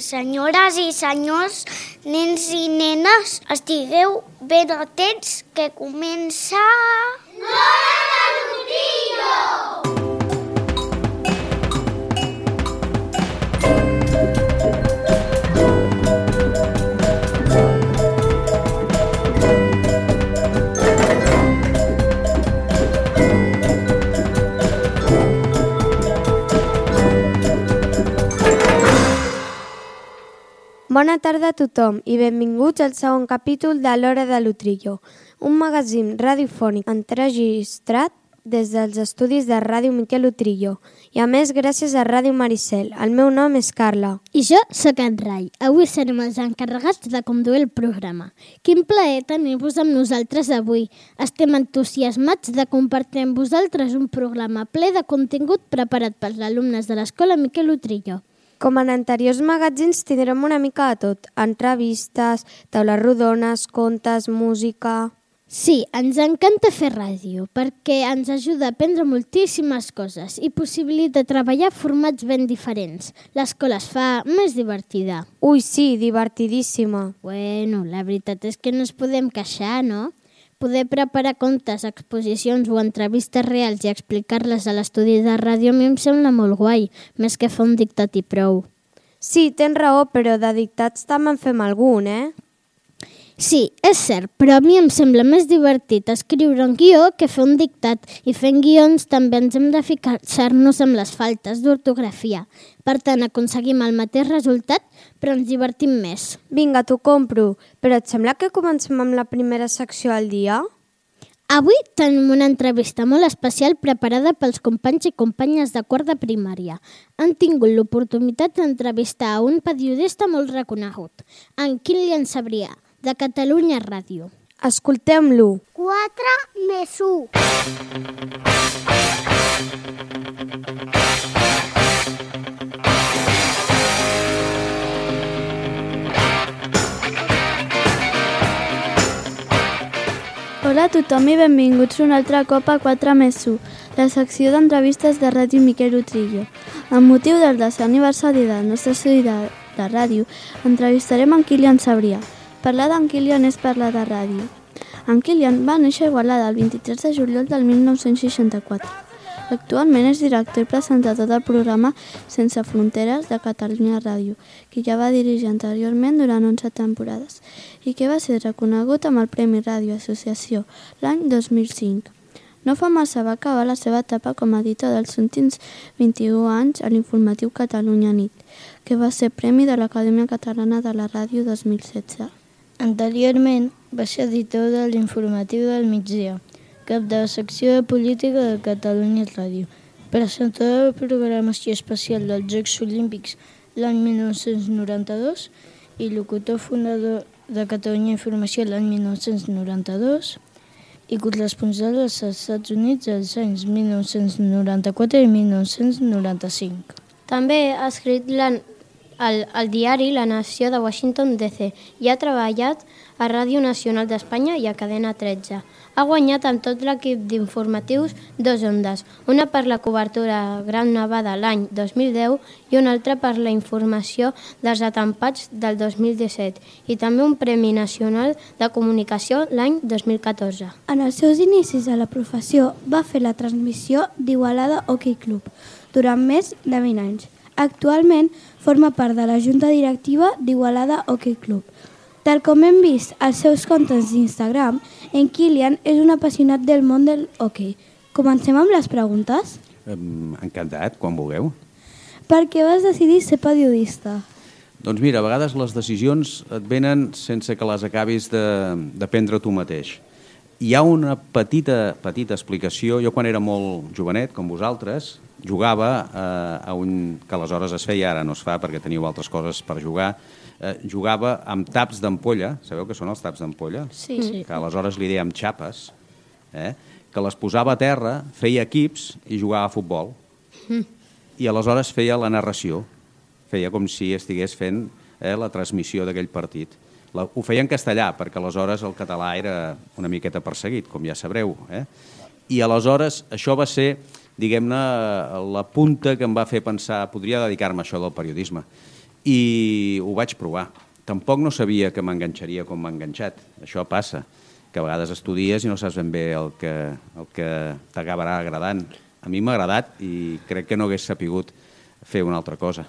Senyores i senyors, nens i nenes, estigueu ben atents que comença... L'Hora de l'Utrillo! Bona tarda a tothom i benvinguts al segon capítol de l'Hora de l'Utrillo, un magazín radiofònic enregistrat des dels estudis de Ràdio Miquel Utrillo i a més gràcies a Ràdio Maricel. El meu nom és Carla. I jo sóc en Rai. Avui serem els encarregats de conduir el programa. Quin plaer tenir-vos amb nosaltres avui. Estem entusiasmats de compartir amb vosaltres un programa ple de contingut preparat pels alumnes de l'Escola Miquel Utrillo. Com en anteriors magazins tindrem una mica de tot, entrevistes, taules rodones, contes, música... Sí, ens encanta fer ràdio, perquè ens ajuda a aprendre moltíssimes coses i possibilita treballar formats ben diferents. L'escola es fa més divertida. Ui, sí, divertidíssima. Bueno, la veritat és que no ens podem queixar, no? Poder preparar contes, exposicions o entrevistes reals i explicar-les a l'estudi de ràdio a mi em sembla molt guai, més que fer un dictat i prou. Sí, tens raó, però de dictats també en fem algun, Sí, és cert, però a mi em sembla més divertit escriure un guió que fer un dictat i fent guions també ens hem de fixar-nos amb les faltes d'ortografia. Per tant, aconseguim el mateix resultat, però ens divertim més. Vinga, t'ho compro, però et sembla que comencem amb la primera secció al dia? Avui tenim una entrevista molt especial preparada pels companys i companyes de quart de primària. Han tingut l'oportunitat d'entrevistar a un periodista molt reconegut, en Kilian Sabrià, de Catalunya Ràdio. Escoltem-lo. 4 més 1. Hola a tothom i benvinguts un altre cop a 4 més 1, la secció d'entrevistes de Ràdio Miquel Utrillo. Amb motiu del 10è aniversari del nostre estudi de ràdio, entrevistarem en Kilian Sabrià. Parlar d'en Kilian és parlar de ràdio. En Kilian va néixer a Igualada el 23 de juliol del 1964. Actualment és director i presentador del programa Sense Fronteres de Catalunya Ràdio, que ja va dirigir anteriorment durant 11 temporades i que va ser reconegut amb el Premi Ràdio Associació l'any 2005. No fa massa va acabar la seva etapa com a editor dels últims 21 anys a l'informatiu Catalunya Nit, que va ser Premi de l'Acadèmia Catalana de la Ràdio 2016. Anteriorment va ser editor de l'Informatiu del Migdia, cap de la secció de política de Catalunya Ràdio, presentador de programació especial dels Jocs Olímpics l'any 1992 i locutor fundador de Catalunya Informació l'any 1992 i corresponsal als Estats Units els anys 1994 i 1995. També ha escrit al diari La Nació de Washington, D.C. i ha treballat a Ràdio Nacional d'Espanya i a Cadena 13. Ha guanyat amb tot l'equip d'informatius 2 ondes, una per la cobertura a Gran Nevada l'any 2010 i una altra per la informació dels atemptats del 2017 i també un Premi Nacional de Comunicació l'any 2014. En els seus inicis a la professió va fer la transmissió d'Igualada Hockey Club durant més de 20 anys. Actualment forma part de la junta directiva d'Igualada Hockey Club. Tal com hem vist als seus comptes d'Instagram, en Kilian és un apassionat del món del hoquei. Comencem amb les preguntes? Encantat, quan vulgueu. Per què vas decidir ser periodista? Doncs mira, a vegades les decisions et venen sense que les acabis de prendre tu mateix. Hi ha una petita explicació. Jo quan era molt jovenet, com vosaltres, jugava a un... que aleshores es feia, ara no es fa perquè teniu altres coses per jugar, jugava amb taps d'ampolla. Sabeu què són els taps d'ampolla? Sí. Que aleshores li dèiem xapes, que les posava a terra, feia equips i jugava a futbol. I aleshores feia la narració, feia com si estigués fent la transmissió d'aquell partit. Ho feia en castellà, perquè aleshores el català era una miqueta perseguit, com ja sabreu. I aleshores això va ser, diguem-ne, la punta que em va fer pensar, podria dedicar-me a això del periodisme. i ho vaig provar. Tampoc no sabia que m'enganxaria com m'ha enganxat. Això passa, que a vegades estudies i no saps ben bé el que t'acabarà agradant. A mi m'ha agradat i crec que no hagués sapigut fer una altra cosa.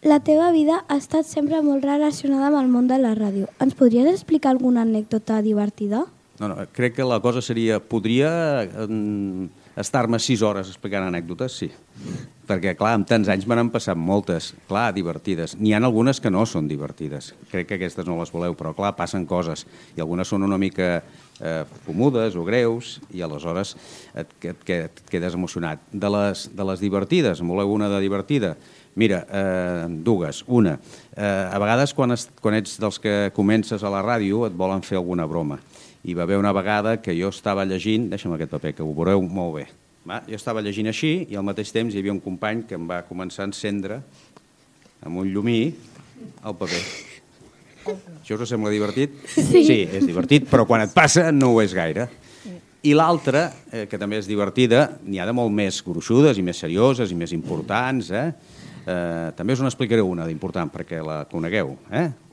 La teva vida ha estat sempre molt relacionada amb el món de la ràdio. Ens podries explicar alguna anècdota divertida? No, crec que la cosa seria... Podria estar-me 6 hores explicant anècdotes, sí. Perquè, clar, amb tants anys me n'han passat moltes, clar, divertides. N'hi ha algunes que no són divertides. Crec que aquestes no les voleu, però, clar, passen coses. I algunes són una mica fumudes o greus i aleshores et quedes emocionat. De les divertides, en voleu una de divertida? Mira, dues. Una, a vegades quan ets dels que comences a la ràdio et volen fer alguna broma. Hi va haver una vegada que jo estava llegint, deixa'm aquest paper que ho veureu molt bé, jo estava llegint així i al mateix temps hi havia un company que em va començar a encendre amb un llumí el paper. Això us sembla divertit? Sí, és divertit, però quan et passa no ho és gaire. I l'altra, que també és divertida, n'hi ha de molt més gruixudes i més serioses i més importants, també us n'explicaré una d'important perquè la conegueu.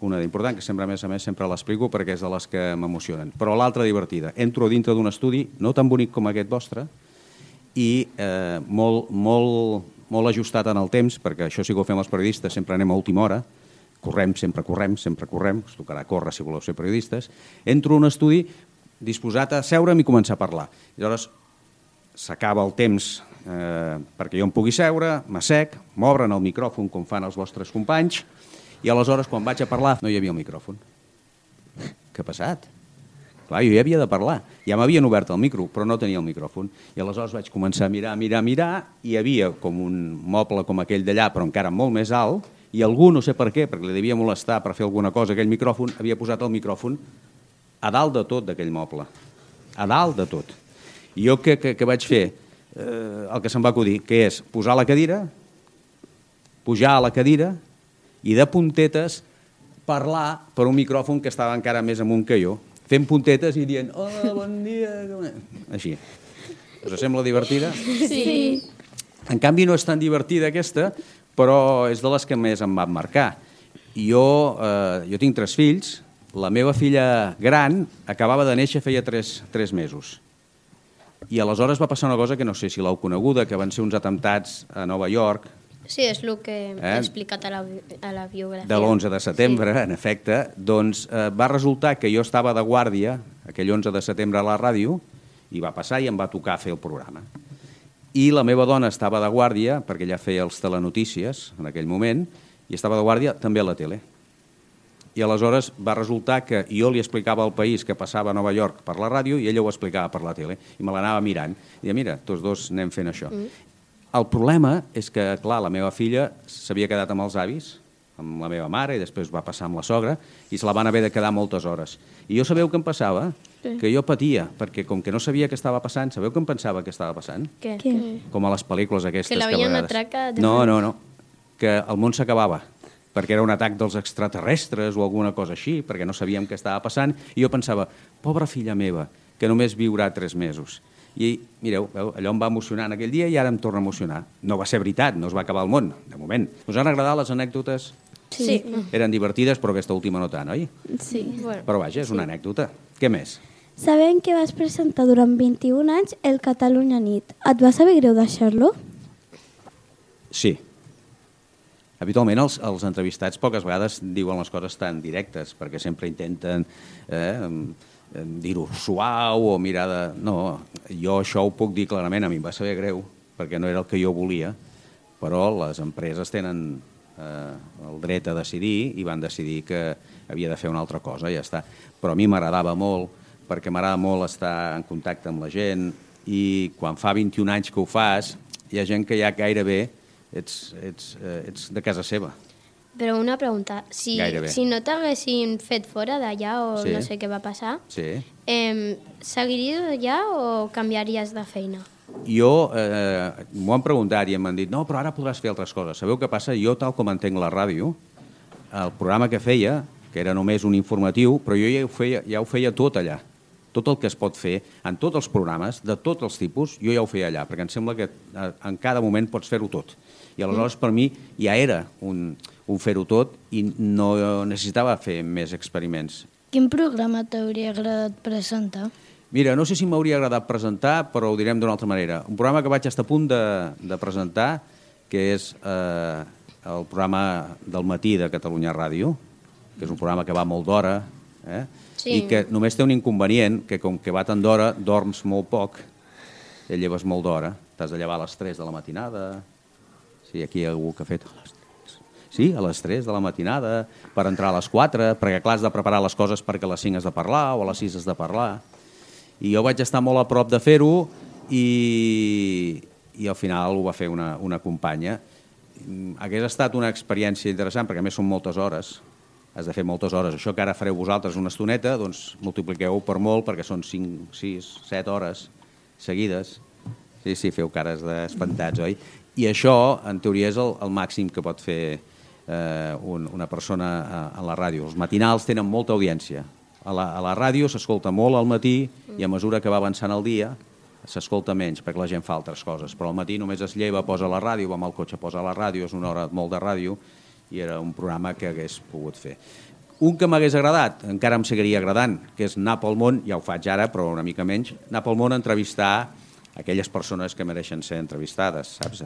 Una d'important que sempre, a més sempre l'explico perquè és de les que m'emocionen. Però l'altra divertida. Entro dintre d'un estudi no tan bonic com aquest vostre i molt ajustat en el temps, perquè això sí que ho fem els periodistes, sempre anem a última hora, sempre correm, us tocarà córrer si voleu ser periodistes. Entro a un estudi disposat a seure'm i començar a parlar. Llavors s'acaba el temps perquè jo em pugui seure, m'assec, m'obren el micròfon com fan els vostres companys i aleshores quan vaig a parlar no hi havia el micròfon. Què ha passat? Clar, jo ja havia de parlar. Ja m'havien obert el micro, però no tenia el micròfon. I aleshores vaig començar a mirar, i hi havia com un moble com aquell d'allà, però encara molt més alt, i algú, no sé per què, perquè li devia molestar per fer alguna cosa, aquell micròfon, havia posat el micròfon a dalt de tot d'aquell moble. A dalt de tot. I jo què vaig fer? El que se'm va acudir, que és posar la cadira, pujar a la cadira i de puntetes parlar per un micròfon que estava encara més amunt que jo, fent puntetes i dient hola, bon dia... Així. Us sembla divertida? Sí. En canvi no és tan divertida aquesta, però és de les que més em van marcar. Jo tinc 3 fills, la meva filla gran acabava de néixer feia 3 mesos. I aleshores va passar una cosa que no sé si l'heu coneguda, que van ser uns atemptats a Nova York. Sí, és el que he explicat a la biografia. De l'11 de setembre, sí. En efecte. Doncs va resultar que jo estava de guàrdia aquell 11 de setembre a la ràdio i va passar i em va tocar fer el programa. I la meva dona estava de guàrdia, perquè ella feia els telenotícies en aquell moment, i estava de guàrdia també a la tele. I aleshores va resultar que jo li explicava al país que passava a Nova York per la ràdio i ella ho explicava per la tele. I me l'anava mirant. I deia, mira, tots dos anem fent això. El problema és que, clar, la meva filla s'havia quedat amb els avis, amb la meva mare, i després va passar amb la sogra, i se la van haver de quedar moltes hores. I jo sabeu què em passava? Que jo patia, perquè com que no sabia què estava passant, sabeu què em pensava que estava passant? Què? Com a les pel·lícules aquestes. Que l'havien atracat. No. Que el món s'acabava. Perquè era un atac dels extraterrestres o alguna cosa així, perquè no sabíem què estava passant, i jo pensava, pobra filla meva, que només viurà 3 mesos. I mireu, allò em va emocionar en aquell dia i ara em torna a emocionar. No va ser veritat, no es va acabar el món, de moment. Us han agradat les anècdotes? Sí. Eren divertides, però aquesta última no tant, oi? Sí. Però vaja, és una anècdota. Què més? Sabem que vas presentar durant 21 anys el Catalunya Nit. Et va saber greu deixar-lo? Sí. Habitualment els entrevistats poques vegades diuen les coses tan directes, perquè sempre intenten dir-ho suau o mirar de... No, jo això ho puc dir clarament, a mi em va saber greu, perquè no era el que jo volia, però les empreses tenen el dret a decidir i van decidir que havia de fer una altra cosa, ja està. Però a mi m'agradava molt, perquè m'agrada molt estar en contacte amb la gent i quan fa 21 anys que ho fas, hi ha gent que ja gairebé ets de casa seva. Però una pregunta, si no t'haguessin fet fora d'allà o no sé què va passar, seguiries allà o canviaries de feina? Jo m'ho han preguntat i m'han dit no, però ara podràs fer altres coses. Sabeu què passa? Jo, tal com entenc la ràdio, el programa que feia, que era només un informatiu, però jo ja ho feia tot allà. tot el que es pot fer en tots els programes, de tots els tipus, jo ja ho feia allà, perquè em sembla que en cada moment pots fer-ho tot. I aleshores per mi ja era un fer-ho tot i no necessitava fer més experiments. Quin programa t'hauria agradat presentar? Mira, no sé si m'hauria agradat presentar, però ho direm d'una altra manera. Un programa que vaig estar a punt de presentar, que és el programa del matí de Catalunya Ràdio, que és un programa que va molt d'hora, i que només té un inconvenient, que com que va tant d'hora, dorms molt poc, et lleves molt d'hora, t'has de llevar a les 3 de la matinada, sí, aquí hi ha algú que ha fet a les 3. Sí, a les 3 de la matinada, per entrar a les 4, perquè clar, has de preparar les coses perquè a les 5 has de parlar o a les 6 has de parlar. I jo vaig estar molt a prop de fer-ho i al final ho va fer una companya. Hagués estat una experiència interessant, perquè a més són moltes hores, has de fer moltes hores. Això que ara fareu vosaltres una estoneta, doncs multipliqueu per molt, perquè són 5, 6, 7 hores seguides. Sí, feu cares d'espantats, oi? I això, en teoria, és el màxim que pot fer una persona a la ràdio. Els matinals tenen molta audiència. A la ràdio s'escolta molt al matí i a mesura que va avançant el dia s'escolta menys, perquè la gent fa altres coses. Però al matí només es lleva, posa la ràdio, va amb el cotxe, posa la ràdio, és una hora molt de ràdio, i era un programa que hagués pogut fer. Un que m'hagués agradat, encara em seguiria agradant, que és anar pel món, ja ho faig ara, però una mica menys, anar pel món a entrevistar aquelles persones que mereixen ser entrevistades, saps?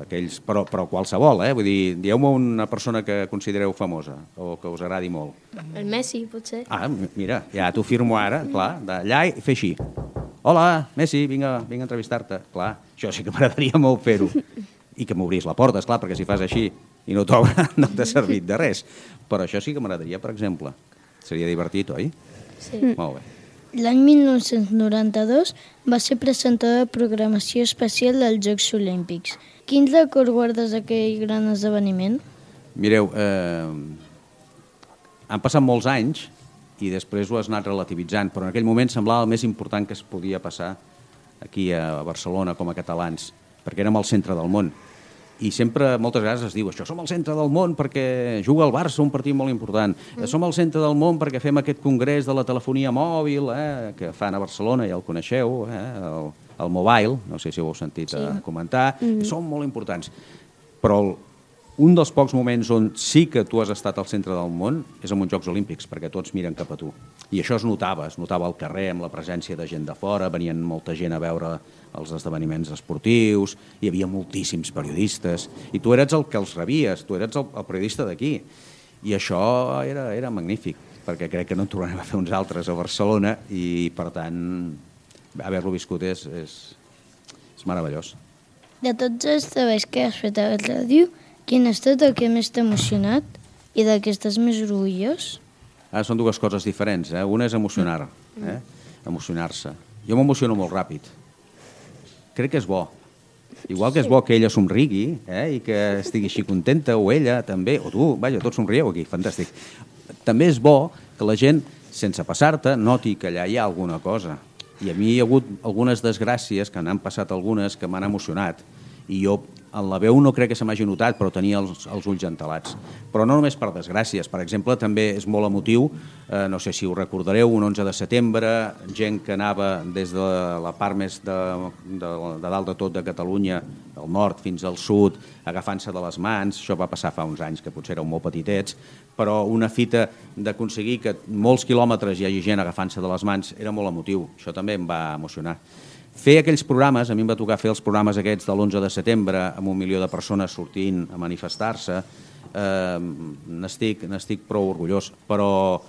Però qualsevol, vull dir, dieu-me una persona que considereu famosa o que us agradi molt. El Messi, potser. Ah, mira, ja t'ho firmo ara, clar, d'allà i fer així. Hola, Messi, vinc a entrevistar-te. Clar, això sí que m'agradaria molt fer-ho. I que m'obrís la porta, esclar, perquè si fas així i no t'obre, no t'ha servit de res. Però això sí que m'agradaria, per exemple. Seria divertit, oi? Sí. Molt bé. L'any 1992 va ser presentador de programació especial dels Jocs Olímpics. Quin record guardes d'aquell gran esdeveniment? Mireu, han passat molts anys i després ho has anat relativitzant, però en aquell moment semblava el més important que es podia passar aquí a Barcelona com a catalans, perquè érem al centre del món. I sempre, moltes vegades es diu això, som al centre del món perquè juga el Barça, un partit molt important. Som al centre del món perquè fem aquest congrés de la telefonia mòbil, que fan a Barcelona, ja el coneixeu, el Mobile, no sé si ho heu sentit comentar, són molt importants. Però un dels pocs moments on sí que tu has estat al centre del món és en uns Jocs Olímpics, perquè tots miren cap a tu. I això es notava al carrer amb la presència de gent de fora, venien molta gent a veure els esdeveniments esportius, hi havia moltíssims periodistes, i tu eres el que els rebies, tu eres el periodista d'aquí. I això era magnífic, perquè crec que no en tornarem a fer uns altres a Barcelona, i per tant, haver-lo viscut és meravellós. De tots els treballs que has fet a la ràdio, quin ha estat el que més t'ha emocionat i del que estàs més orgullós? Són dues coses diferents. Una és emocionar-se. Jo m'emociono molt ràpid. Crec que és bo. Igual que és bo que ella somrigui i que estigui així contenta, o ella també, o tu, vaja, tots somrieu aquí, fantàstic. També és bo que la gent, sense passar-te, noti que allà hi ha alguna cosa. I a mi hi ha hagut algunes desgràcies, que n'han passat algunes, que m'han emocionat. I jo, en la veu no crec que se m'hagi notat, però tenia els ulls entelats. Però no només per desgràcies. Per exemple, també és molt emotiu, no sé si ho recordareu, un 11 de setembre, gent que anava des de la part més de dalt de tot de Catalunya, del nord fins al sud, agafant-se de les mans. Això va passar fa uns anys, que potser éreu molt petitets, però una fita d'aconseguir que molts quilòmetres hi hagi gent agafant-se de les mans era molt emotiu. Això també em va emocionar. Fer aquells programes, a mi em va tocar fer els programes aquests de l'11 de setembre amb 1 milió de persones sortint a manifestar-se, n'estic prou orgullós, però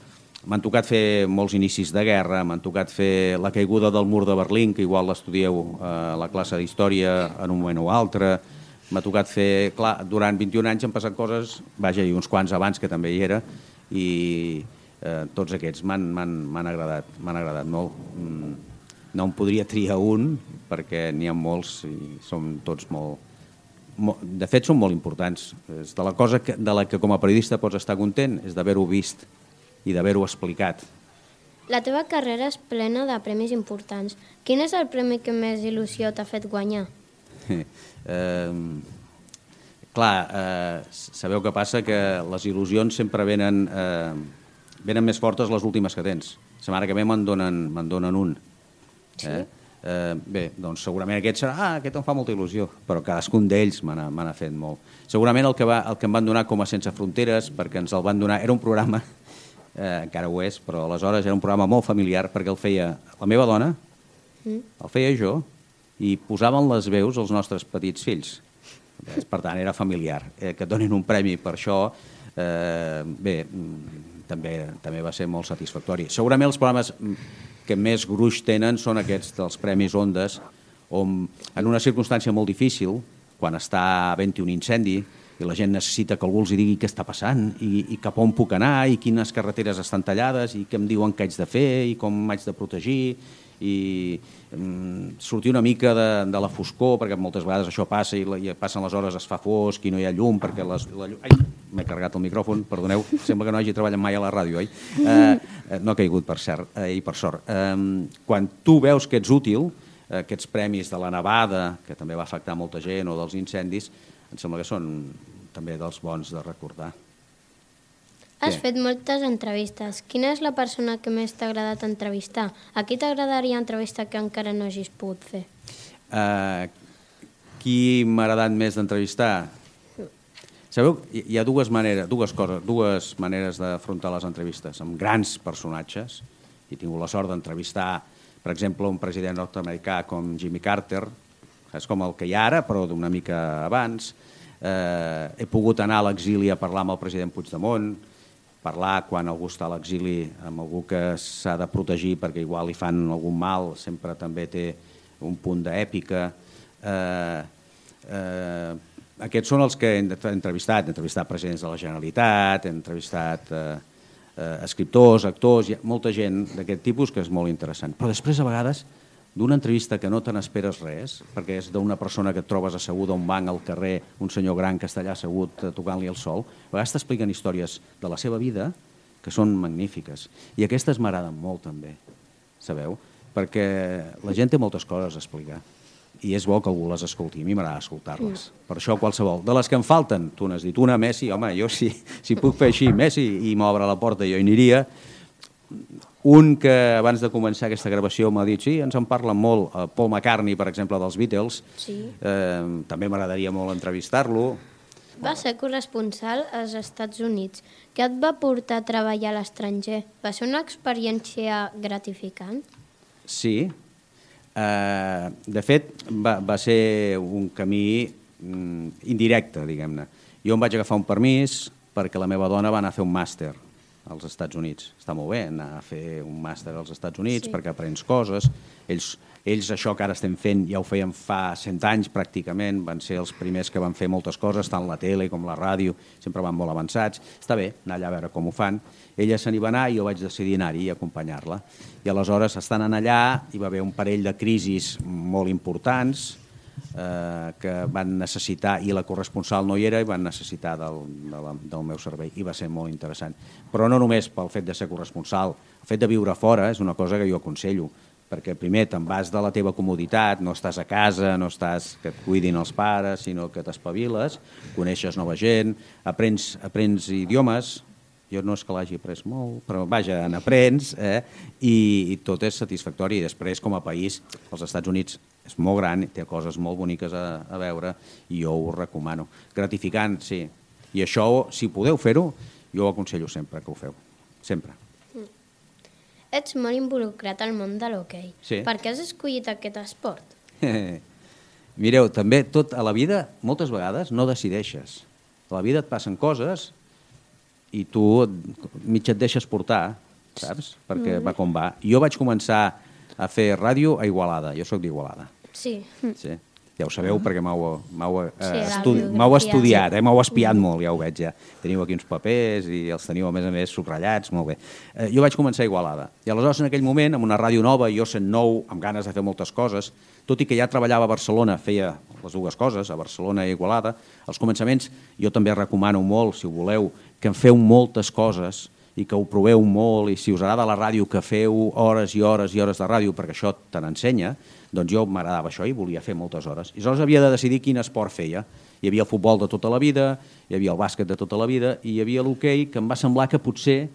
m'han tocat fer molts inicis de guerra, m'han tocat fer la caiguda del mur de Berlín, que igual l'estudieu a la classe d'història en un moment o altre, m'ha tocat fer, clar, durant 21 anys han passat coses, vaja, i uns quants abans que també hi era, i tots aquests m'han agradat molt. No em podria triar un, perquè n'hi ha molts i som tots molt... De fet, són molt importants. De la cosa de la que com a periodista pots estar content és d'haver-ho vist i d'haver-ho explicat. La teva carrera és plena de premis importants. Quin és el premi que més il·lusió t'ha fet guanyar? Clar, sabeu què passa? Que les il·lusions sempre venen més fortes les últimes que tens. La setmana que ve me'n donen un. Bé, doncs segurament aquest serà, aquest em fa molta il·lusió, però cadascun d'ells me n'ha fet molt. Segurament el que em van donar com a Sense Fronteres, perquè ens el van donar, era un programa, encara ho és, però aleshores era un programa molt familiar, perquè el feia la meva dona, el feia jo, i posaven les veus als nostres petits fills. Per tant, era familiar. Que et donin un premi per això, bé, també va ser molt satisfactori. Segurament els programes que més gruix tenen són aquests dels Premis Ondes, on en una circumstància molt difícil, quan està havent-hi un incendi i la gent necessita que algú els digui què està passant i cap on puc anar i quines carreteres estan tallades i què em diuen que haig de fer i com m'haig de protegir i sortir una mica de la foscor, perquè moltes vegades això passa i passen les hores, es fa fosc i no hi ha llum, perquè la llum... Ai, m'he carregat el micròfon, perdoneu, sembla que no hagi treballat mai a la ràdio, oi? No ha caigut, per cert, i per sort. Quan tu veus que ets útil, aquests premis de la nevada, que també va afectar molta gent, o dels incendis, em sembla que són també dels bons de recordar. Has fet moltes entrevistes. Quina és la persona que més t'ha agradat entrevistar? A qui t'agradaria entrevistar que encara no hagis pogut fer? Qui m'ha agradat més d'entrevistar? Sabeu, hi ha dues maneres d'afrontar les entrevistes, amb grans personatges. He tingut la sort d'entrevistar, per exemple, un president nord-americà com Jimmy Carter, és com el que hi ha ara, però d'una mica abans. He pogut anar a l'exili a parlar amb el president Puigdemont, parlar quan algú està a l'exili amb algú que s'ha de protegir perquè igual li fan algun mal, sempre també té un punt d'èpica. Aquests són els que he entrevistat presidents de la Generalitat, he entrevistat escriptors, actors, molta gent d'aquest tipus que és molt interessant. Però després, a vegades, d'una entrevista que no te n'esperes res, perquè és d'una persona que et trobes asseguda a un banc al carrer, un senyor gran que està allà assegut tocant-li el sol, a vegades t'expliquen històries de la seva vida que són magnífiques. I aquestes m'agraden molt també, sabeu? Perquè la gent té moltes coses a explicar i és bo que algú les escolti. A mi m'agrada escoltar-les. Per això qualsevol. De les que em falten, tu n'has dit una, Messi, home, jo si puc fer així, Messi, i m'obre la porta jo hi aniria. Un que abans de començar aquesta gravació m'ha dit sí, ens en parlen molt, Paul McCartney, per exemple, dels Beatles, també m'agradaria molt entrevistar-lo. Va ser corresponsal als Estats Units. Què et va portar a treballar a l'estranger? Va ser una experiència gratificant? Sí. De fet, va ser un camí indirecte, diguem-ne. Jo em vaig agafar un permís perquè la meva dona va anar a fer un màster als Estats Units. Està molt bé anar a fer un màster als Estats Units perquè aprens coses. Ells això que ara estem fent ja ho feien fa 100 anys pràcticament, van ser els primers que van fer moltes coses, tant la tele com la ràdio, sempre van molt avançats. Està bé anar allà a veure com ho fan. Ella se n'hi va anar i jo vaig decidir anar-hi i acompanyar-la. I aleshores, estant allà, hi va haver un parell de crisis molt importants que van necessitar, i la corresponsal no hi era, i van necessitar del meu servei, i va ser molt interessant. Però no només pel fet de ser corresponsal, el fet de viure fora és una cosa que jo aconsello, perquè primer te'n vas de la teva comoditat, no estàs a casa, no estàs que et cuidin els pares, sinó que t'espaviles, coneixes nova gent, aprens idiomes. Jo no és que l'hagi après molt, però vaja, n'aprens, i tot és satisfactori. I després, com a país, els Estats Units és molt gran, té coses molt boniques a veure, i jo ho recomano. Gratificant, sí. I això, si podeu fer-ho, jo ho aconsello sempre que ho feu. Sempre. Ets molt involucrat al món de l'hoquei. Sí. Per què has escollit aquest esport? Mireu, també tot a la vida, moltes vegades, no decideixes. A la vida et passen coses i tu mig et deixes portar, saps? Perquè va com va. Jo vaig començar a fer ràdio a Igualada. Jo sóc d'Igualada. Sí. Sí. Ja ho sabeu perquè m'heu biografia, estudiat, m'heu espiat molt, ja ho veig ja. Teniu aquí uns papers i els teniu a més subratllats, molt bé. Jo vaig començar a Igualada. I aleshores en aquell moment, amb una ràdio nova, jo sent nou, amb ganes de fer moltes coses, tot i que ja treballava a Barcelona, feia les dues coses, a Barcelona i a Igualada, als començaments jo també recomano molt, si ho voleu, que en feu moltes coses i que ho proveu molt, i si us agrada la ràdio, que feu hores i hores i hores de ràdio, perquè això te n'ensenya, doncs jo m'agradava això i volia fer moltes hores. I aleshores havia de decidir quin esport feia. Hi havia el futbol de tota la vida, hi havia el bàsquet de tota la vida, i hi havia l'hoquei, que em va semblar que potser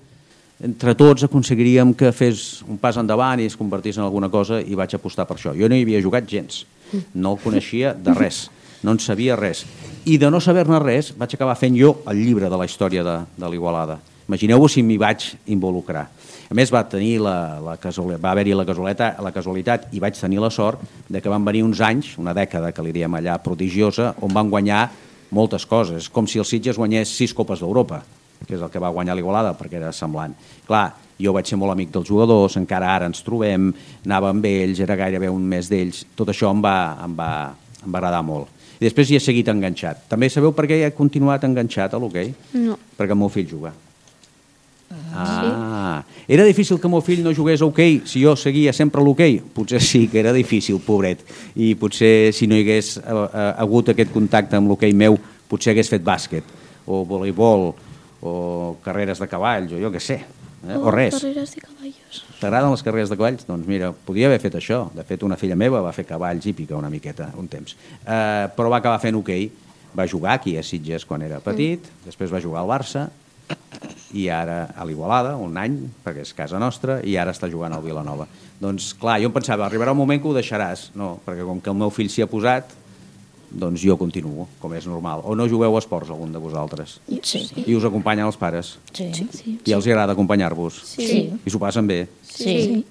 entre tots aconseguiríem que fes un pas endavant i es convertís en alguna cosa i vaig apostar per això. Jo no hi havia jugat gens, no el coneixia de res, no en sabia res. I de no saber-ne res vaig acabar fent jo el llibre de la història de l'Igualada. Imagineu-vos si m'hi vaig involucrar. A més, va haver-hi la casualitat i vaig tenir la sort de que van venir uns anys, una dècada que li diem allà prodigiosa, on van guanyar moltes coses, com si el Sitges guanyés 6 Copes d'Europa, que és el que va guanyar l'Igualada, perquè era semblant. Clar, jo vaig ser molt amic dels jugadors, encara ara ens trobem, anava amb ells, era gairebé un mes d'ells, tot això em va agradar molt. I després hi he seguit enganxat. També sabeu per què he continuat enganxat a l'hoquei? No. Perquè el meu fill juga. Era difícil que el meu fill no jugués a hoquei si jo seguia sempre a l'hoquei? Potser sí que era difícil, pobret, i potser si no hi hagués hagut aquest contacte amb l'hoquei meu, potser hagués fet bàsquet o voleibol o carreres de cavalls o jo què sé, o res. Carreres de cavalls. T'agraden les carreres de cavalls? Doncs mira, podia haver fet això. De fet, una filla meva va fer cavalls hípica una miqueta, un temps, però va acabar fent hoquei. Va jugar aquí a Sitges quan era petit, després va jugar al Barça i ara a l'Igualada, un any, perquè és casa nostra, i ara està jugant al Vilanova. Doncs clar, jo em pensava, arribarà un moment que ho deixaràs, no, perquè com que el meu fill s'hi ha posat, doncs jo continuo, com és normal. O no jugueu a esports, algun de vosaltres? Sí. I us acompanyen els pares? Sí. I els agrada acompanyar-vos? Sí. I s'ho passen bé? Sí.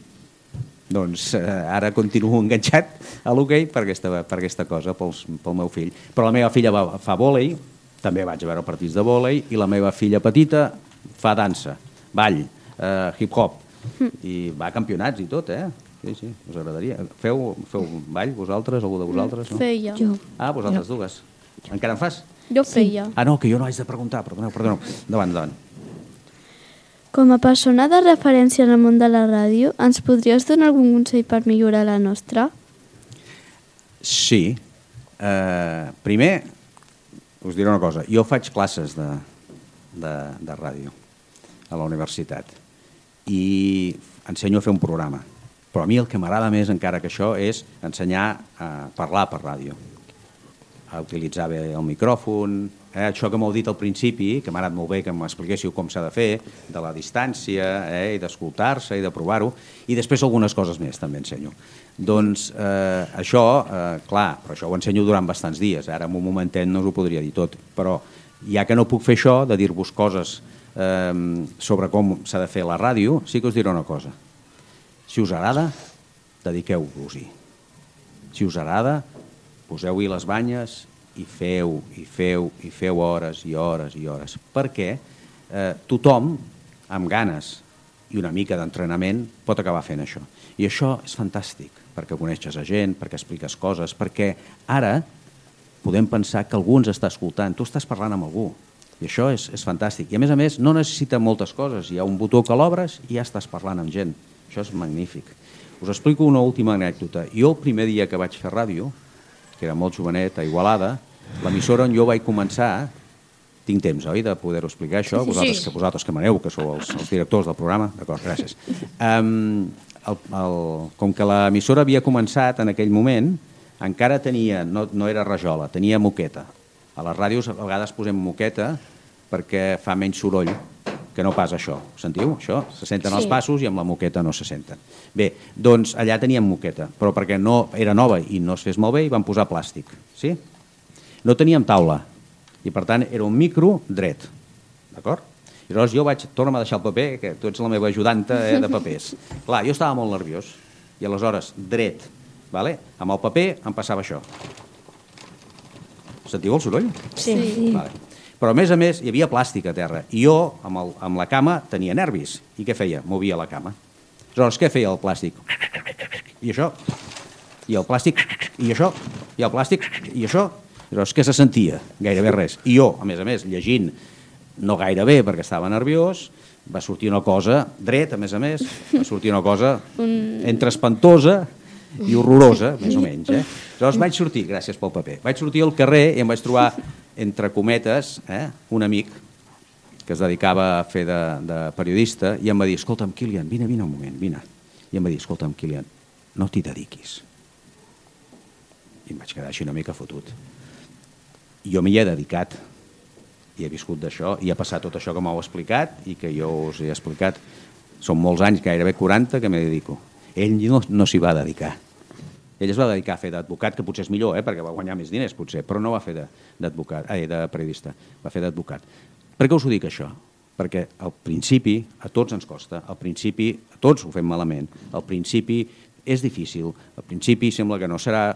Doncs ara continuo enganxat a l'hoquei per aquesta cosa, pel meu fill. Però la meva filla fa vòlei, també vaig a veure partits de vòlei, i la meva filla petita fa dansa, ball, hip-hop, i va a campionats i tot, Sí, us agradaria. Feu ball, vosaltres, algú de vosaltres? No? Feia. Vosaltres dues. Encara en fas? Jo feia. No, que jo no haig de preguntar, perdoneu. Endavant. Com a persona de referència en el món de la ràdio, ens podries donar algun consell per millorar la nostra? Sí. Primer, us diré una cosa. Jo faig classes de ràdio a la universitat i ensenyo a fer un programa. Però a mi el que m'agrada més encara que això és ensenyar a parlar per ràdio, a utilitzar bé el micròfon, això que m'heu dit al principi, que m'ha anat molt bé que m'expliquéssiu com s'ha de fer, de la distància, i d'escoltar-se i de provar-ho, i després algunes coses més també ensenyo. Doncs això, clar, però això ho ensenyo durant bastants dies, ara en un momentet no us ho podria dir tot, però ja que no puc fer això, de dir-vos coses sobre com s'ha de fer la ràdio, sí que us diré una cosa. Si us agrada, dediqueu-vos-hi. Si us agrada, poseu-hi les banyes i feu hores i hores i hores. Perquè tothom, amb ganes i una mica d'entrenament, pot acabar fent això. I això és fantàstic, perquè coneixes a gent, perquè expliques coses, perquè ara podem pensar que algú ens està escoltant. Tu estàs parlant amb algú. I això és fantàstic. I a més, no necessita moltes coses. Hi ha un botó que l'obres i ja estàs parlant amb gent. Això és magnífic. Us explico una última anècdota. Jo el primer dia que vaig fer ràdio, que era molt jovenet, a Igualada, l'emissora on jo vaig començar, tinc temps, oi, de poder-ho explicar això? Vosaltres que maneu, que sou els directors del programa. D'acord, gràcies. Com que l'emissora havia començat en aquell moment, encara tenia, no era rajola, tenia moqueta. A les ràdios a vegades posem moqueta perquè fa menys soroll, que no pas això. Sentiu, això? Se senten els passos i amb la moqueta no se senten. Bé, doncs allà teníem moqueta, però perquè no era nova i no es fes molt bé hi van posar plàstic. Sí? No teníem taula i per tant era un micro dret. D'acord? I llavors jo torna'm a deixar el paper, que tu ets la meva ajudanta de papers. Clar, jo estava molt nerviós i aleshores dret, amb el paper em passava això. Sentiu el soroll? Sí. Però a més hi havia plàstic a terra i jo amb la cama tenia nervis. I què feia? Movia la cama. Aleshores, què feia el plàstic? I això. I el plàstic. I això. I el plàstic. I això. Aleshores, què se sentia? Gairebé res. I jo, a més, llegint no gaire bé perquè estava nerviós, va sortir una cosa dret, a més, va sortir una cosa entre espantosa i horrorosa, més o menys. Aleshores vaig sortir, gràcies pel paper, vaig sortir al carrer i em vaig trobar, entre cometes, un amic que es dedicava a fer de periodista i em va dir, escolta'm, Kilian, vine un moment, vine. I em va dir, escolta'm, Kilian, no t'hi dediquis. I em vaig quedar així una mica fotut. Jo m'hi he dedicat i he viscut d'això, i ha passat tot això que m'heu explicat i que jo us he explicat. Són molts anys, gairebé 40, que m'hi dedico. Ell no s'hi va dedicar. Ell es va dedicar a fer d'advocat, que potser és millor, perquè va guanyar més diners, potser, però no va fer de periodista, va fer d'advocat. Per què us ho dic, això? Perquè al principi a tots ens costa, al principi a tots ho fem malament, al principi és difícil, al principi sembla que no serà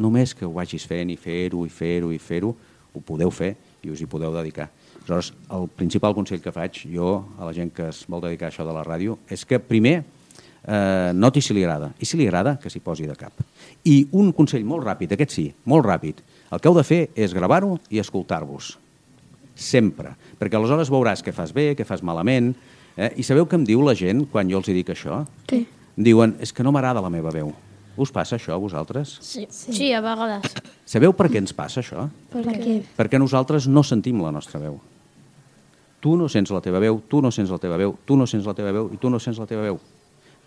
només que ho vagis fent i fer-ho, i fer-ho, i fer-ho, ho podeu fer i us hi podeu dedicar. Aleshores, el principal consell que faig jo a la gent que es vol dedicar a això de la ràdio és que primer noti si li agrada, i si li agrada que s'hi posi de cap. I un consell molt ràpid, aquest sí, molt ràpid, el que heu de fer és gravar-ho i escoltar-vos, sempre, perquè aleshores veuràs què fas bé, què fas malament, i sabeu què em diu la gent quan jo els dic això? Sí. Em diuen, és que no m'agrada la meva veu. Us passa això a vosaltres? Sí, a vegades. Sabeu per què ens passa això? Per què? Perquè nosaltres no sentim la nostra veu. Tu no sents la teva veu, tu no sents la teva veu, tu no sents la teva veu i tu no sents la teva veu.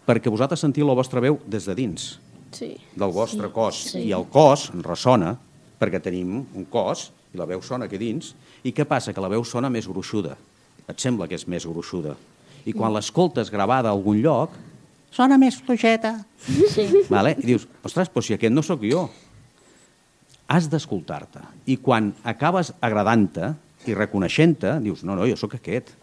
Perquè vosaltres sentiu la vostra veu des de dins, del vostre cos. I el cos ressona, perquè tenim un cos, i la veu sona aquí dins, i què passa? Que la veu sona més gruixuda. Et sembla que és més gruixuda. I quan l'escoltes gravada a algun lloc, sona més fluixeta. Sí. Vale? I dius, ostres, però si aquest no sóc jo. Has d'escoltar-te. I quan acabes agradant-te i reconeixent-te, dius, no, jo sóc aquest.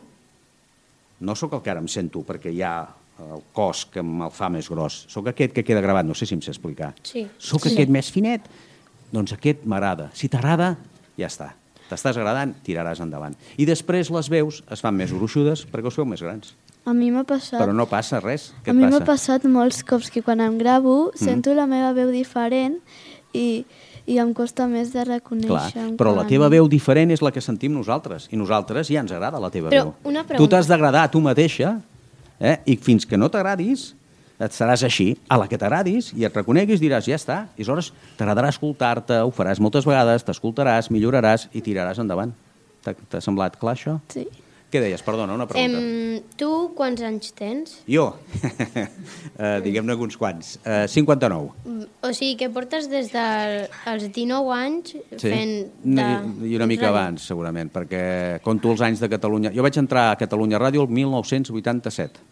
No sóc el que ara em sento, perquè hi ha el cos que me'l fa més gros. Sóc aquest que queda gravat, no sé si em sé explicar. Sí. Sóc aquest més finet, doncs aquest m'agrada. Si t'agrada, ja està. T'estàs agradant, tiraràs endavant. I després les veus es fan més gruixudes perquè us feu més grans. A mi m'ha passat... Però no passa res. Què A et mi m'ha passa? passat molts cops que quan em gravo sento la meva veu diferent i em costa més de reconèixer. Clar, però la teva veu diferent és la que sentim nosaltres. I nosaltres ja ens agrada la teva Però veu. una pregunta. Tu t'has d'agradar a tu mateixa, i fins que no t'agradis, et seràs així. A la que t'agradis i et reconeguis diràs, ja està. I aleshores t'agradarà escoltar-te, ho faràs moltes vegades, t'escoltaràs, milloraràs i tiraràs endavant. T'ha semblat clar, això? Sí. Què deies? Perdona, una pregunta. Tu quants anys tens? Jo? Diguem-ne uns quants. 59. O sigui que portes des dels 19 anys fent... I una mica abans, segurament, perquè conto els anys de Catalunya. Jo vaig entrar a Catalunya Ràdio el 1987,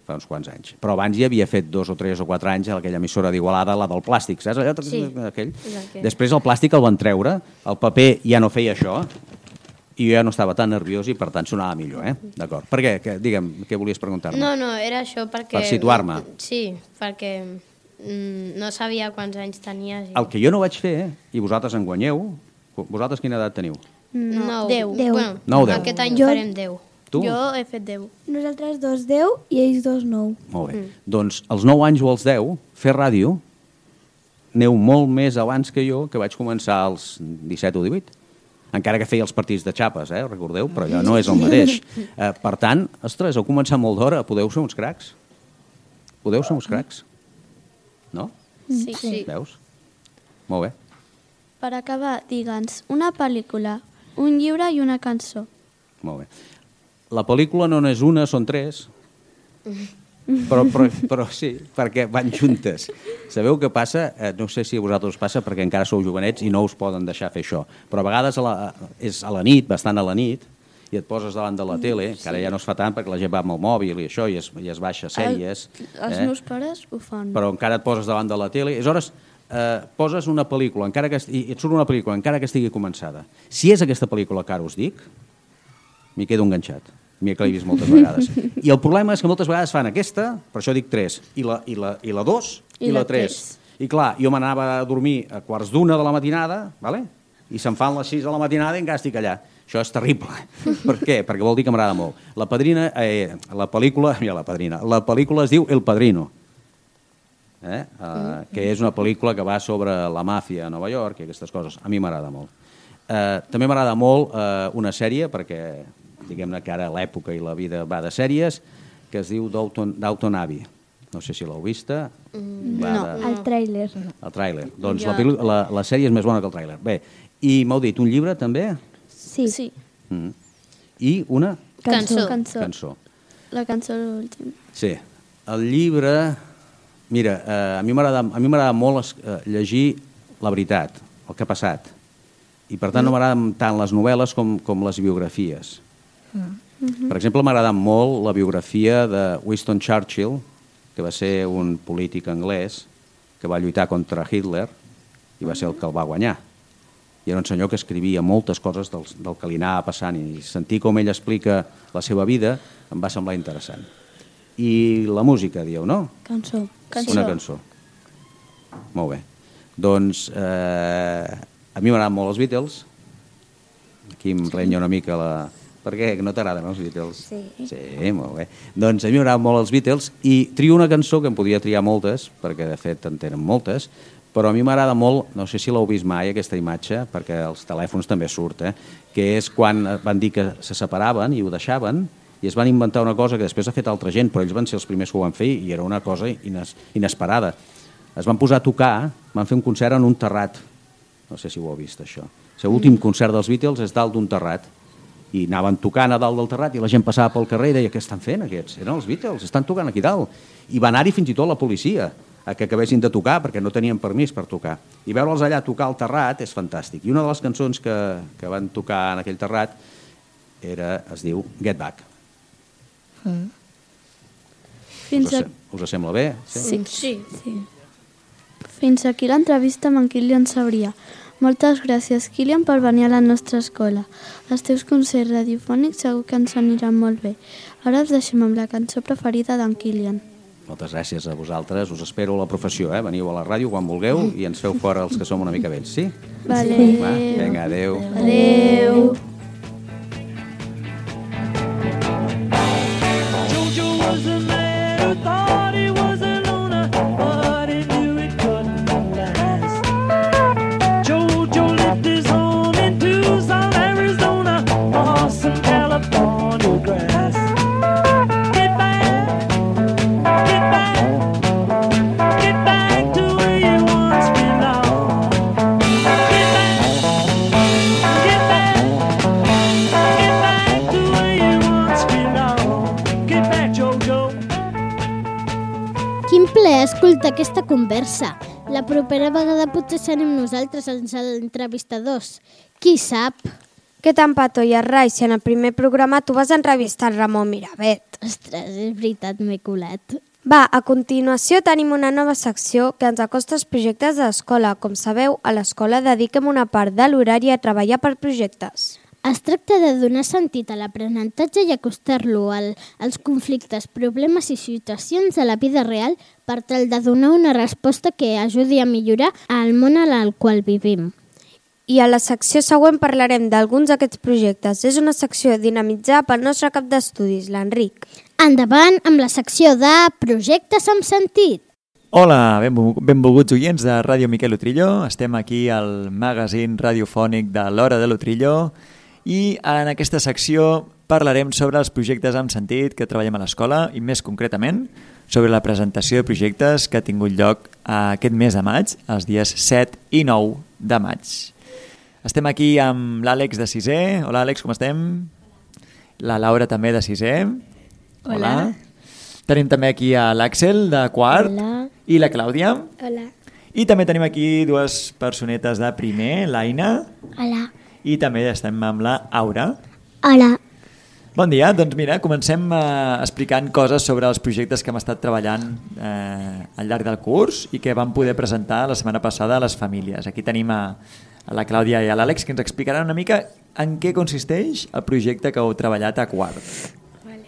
fa uns quants anys. Però abans ja havia fet 2 o 3 o 4 anys a aquella emissora d'Igualada, la del plàstic, saps? Allò, Sí. aquell. Exacte. Després el plàstic el van treure, el paper ja no feia això, i jo ja no estava tan nerviós i per tant sonava millor, D'acord. Per què? Digue'm, què volies preguntar-me? No, era això perquè... Per situar-me. Sí, perquè no sabia quants anys tenies. El que jo no vaig fer, i vosaltres en guanyeu, vosaltres quina edat teniu? No, 10. Bueno, 9, 10. aquest any Jo- farem 10. Tu? Jo he fet 10. Nosaltres 2 10 i ells 2 9. Molt bé. Doncs als 9 anys o als 10, fer ràdio, aneu molt més abans que jo, que vaig començar als 17 o 18. Encara que feia els partits de xapes, recordeu? Però ja no és el mateix. Per tant, ostres, heu començat molt d'hora, podeu ser uns cracs. Podeu ser uns cracs. No? Sí. Veus? Molt bé. Per acabar, digue'ns una pel·lícula, un llibre i una cançó. Molt bé. La pel·lícula no és una, són 3. Però sí, perquè van juntes. Sabeu què passa? No sé si a vosaltres us passa perquè encara sou jovenets i no us poden deixar fer això. Però a vegades és a la nit, bastant a la nit, i et poses davant de la tele, que ara ja no es fa tant perquè la gent va amb el mòbil i això, i es baixa sèries. Els meus pares ho fan. Però encara et poses davant de la tele. Aleshores, poses una pel·lícula, i et surt una pel·lícula, encara que estigui començada. Si és aquesta pel·lícula que ara us dic, m'hi quedo enganxat. M'hi he vist moltes vegades. I el problema és que moltes vegades fan aquesta, per això dic 3, i la 2 i la 3. I clar, jo m'anava a dormir a 12:15 de la matinada, vale? I se'n fan les 6 de la matinada i encara estic allà. Això és terrible. Per què? Perquè vol dir que m'agrada molt. La pel·lícula es diu El Padrino, que és una pel·lícula que va sobre la màfia a Nova York i aquestes coses. A mi m'agrada molt. També m'agrada molt una sèrie, perquè diguem-ne que ara l'època i la vida va de sèries, que es diu Downton Abbey. No sé si l'heu vista. El tràiler. El tràiler. Doncs la sèrie és més bona que el tràiler. Bé, i m'heu dit un llibre també? Sí. I una Cançó. La cançó l'últim. Sí. El llibre... Mira, a mi m'agrada molt llegir la veritat, el que ha passat. i per tant no m'agraden tant les novel·les com les biografies. Per exemple, m'agrada molt la biografia de Winston Churchill, que va ser un polític anglès que va lluitar contra Hitler i va ser el que el va guanyar. I era un senyor que escrivia moltes coses del que li anava passant i sentir com ell explica la seva vida em va semblar interessant. I la música, dieu, no? Cançó. Una cançó. Molt bé. Doncs a mi m'agraden molt els Beatles. Aquí em renya una mica la... Per què? Que no t'agraden els Beatles? Sí, molt bé. Doncs a mi m'agraden molt els Beatles i trio una cançó que em podia triar moltes, perquè de fet en tenen moltes, però a mi m'agrada molt, no sé si l'heu vist mai aquesta imatge, perquè als telèfons també surt, que és quan van dir que se separaven i ho deixaven i es van inventar una cosa que després ha fet altra gent, però ells van ser els primers que ho van fer i era una cosa inesperada. Es van posar a tocar, van fer un concert en un terrat. No sé si ho heu vist, això. L'últim concert dels Beatles és dalt d'un terrat i anaven tocant a dalt del terrat i la gent passava pel carrer i deia, què estan fent aquests? Eren els Beatles, estan tocant aquí dalt. I va anar-hi fins i tot la policia a que acabessin de tocar perquè no tenien permís per tocar. I veure'ls allà tocar al terrat és fantàstic. I una de les cançons que van tocar en aquell terrat es diu Get Back. Us sembla bé? Sí. Fins aquí l'entrevista amb en Kilian Sabria. Moltes gràcies, Kilian, per venir a la nostra escola. Els teus concerts radiofònics segur que ens aniran molt bé. Ara us deixem amb la cançó preferida d'en Kilian. Moltes gràcies a vosaltres. Us espero a la professió. Veniu a la ràdio quan vulgueu i ens feu fora els que som una mica vells, sí? Vale. Vinga, adeu. Adeu. Escolta aquesta conversa. La propera vegada potser serem nosaltres els entrevistadors. Qui sap? Què tan petó i arrai si en el primer programa tu vas entrevistar Ramon Miravet? Ostres, és veritat, m'he colat. Va, a continuació tenim una nova secció que ens acosta als projectes de l'escola. Com sabeu, a l'escola dediquem una part de l'horari a treballar per projectes. Es tracta de donar sentit a l'aprenentatge i acostar-lo als conflictes, problemes i situacions de la vida real per tal de donar una resposta que ajudi a millorar el món en el qual vivim. I a la secció següent parlarem d'alguns d'aquests projectes. És una secció dinamitzada pel nostre cap d'estudis, l'Enric. Endavant amb la secció de Projectes amb sentit. Hola, benvolguts oients de Ràdio Miquel Utrillo. Estem aquí al magazín radiofònic de l'Hora de l'Utrillo i en aquesta secció parlarem sobre els projectes amb sentit que treballem a l'escola i més concretament sobre la presentació de projectes que ha tingut lloc aquest mes de maig, els dies 7 i 9 de maig. Estem aquí amb l'Àlex de 6è. Hola Àlex, com estem? La Laura també de 6è. Hola. Tenim també aquí a l'Àxel de 4. Hola. I la Clàudia. Hola. I també tenim aquí dues personetes de primer, l'Aina. Hola. I també estem amb la Aura. Hola. Bon dia, doncs mira, comencem explicant coses sobre els projectes que hem estat treballant al llarg del curs i que vam poder presentar la setmana passada a les famílies. Aquí tenim a la Clàudia i a l'Àlex que ens explicaran una mica en què consisteix el projecte que heu treballat a quart. Vale.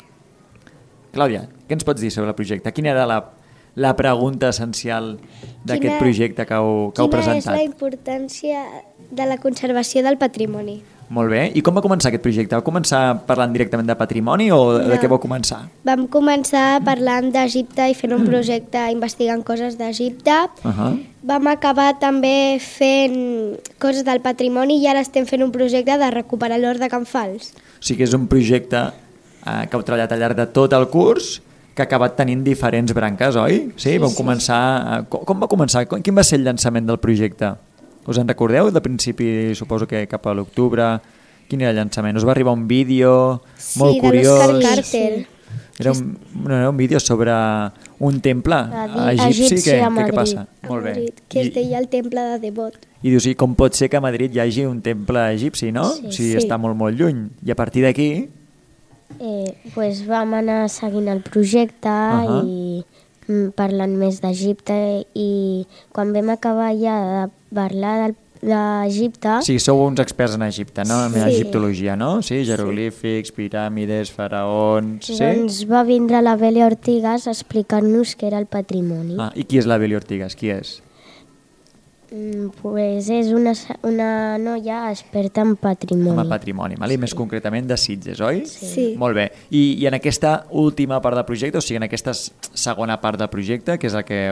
Clàudia, què ens pots dir sobre el projecte? Quina era la pregunta essencial d'aquest projecte que heu presentat? Quina és la importància de la conservació del patrimoni? Molt bé. I com va començar aquest projecte? Va començar parlant directament de patrimoni o de què vau començar? Vam començar parlant d'Egipte i fent un projecte investigant coses d'Egipte. Vam acabar també fent coses del patrimoni i ara estem fent un projecte de recuperar l'hort de Can Fals. O sigui que és un projecte que heu treballat al llarg de tot el curs que ha acabat tenint diferents branques, oi? Sí, vam començar... Com va començar? Quin va ser el llançament del projecte? Us en recordeu? De principi, suposo que cap a l'octubre. Quin era el llançament? Us va arribar un vídeo molt curiós? Sí, de l'Òscar Carter. Era un vídeo sobre un temple egipci. Què passa? Molt bé. Que es deia el temple de Devot. I dius, i com pot ser que a Madrid hi hagi un temple egipci, no? Si està molt, molt lluny. I a partir d'aquí... Pues vam anar seguint el projecte i parlant més d'Egipte, i quan vam acabar ja de parlar d'Egipte... Sí, sou uns experts en Egipte, no? En egiptologia, no? Sí, jeroglífics, piràmides, faraons... Doncs va vindre la Beli Ortigas a explicar-nos què era el patrimoni. I qui és la Beli Ortigas? Qui és? Pues és una noia experta en patrimoni. En patrimoni, i més concretament de Sitges, oi? Sí. Molt bé. I en aquesta última part del projecte, o sigui, en aquesta segona part del projecte, que és el que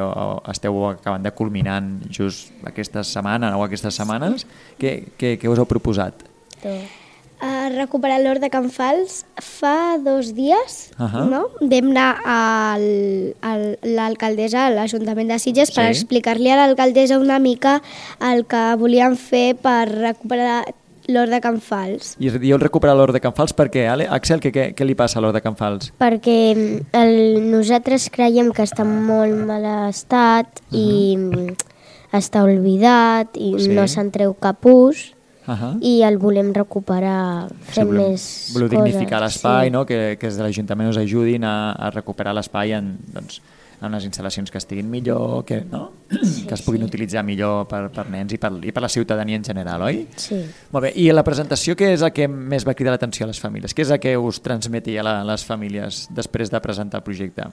esteu acabant de culminar just aquesta setmana o aquestes setmanes, què us heu proposat? A recuperar l'hort de Can Fals fa 2 dies, no? Vam anar a l'alcaldessa, a l'Ajuntament de Sitges, per explicar-li a l'alcaldessa una mica el que volíem fer per recuperar l'hort de Can Fals. I dieu recuperar l'hort de Can Fals per què? Axel, què li passa a l'hort de Can Fals? Perquè nosaltres creiem que està en molt mal estat i està oblidat i no se'n treu cap ús. I el volem recuperar fent més coses. Voleu dignificar l'espai, no? Que des de l'Ajuntament us ajudin a recuperar l'espai en unes instal·lacions que estiguin millor, que es puguin utilitzar millor per nens i per la ciutadania en general, oi? Sí. Molt bé, i la presentació què és el que més va cridar l'atenció a les famílies? Què és el que us transmetia a les famílies després de presentar el projecte?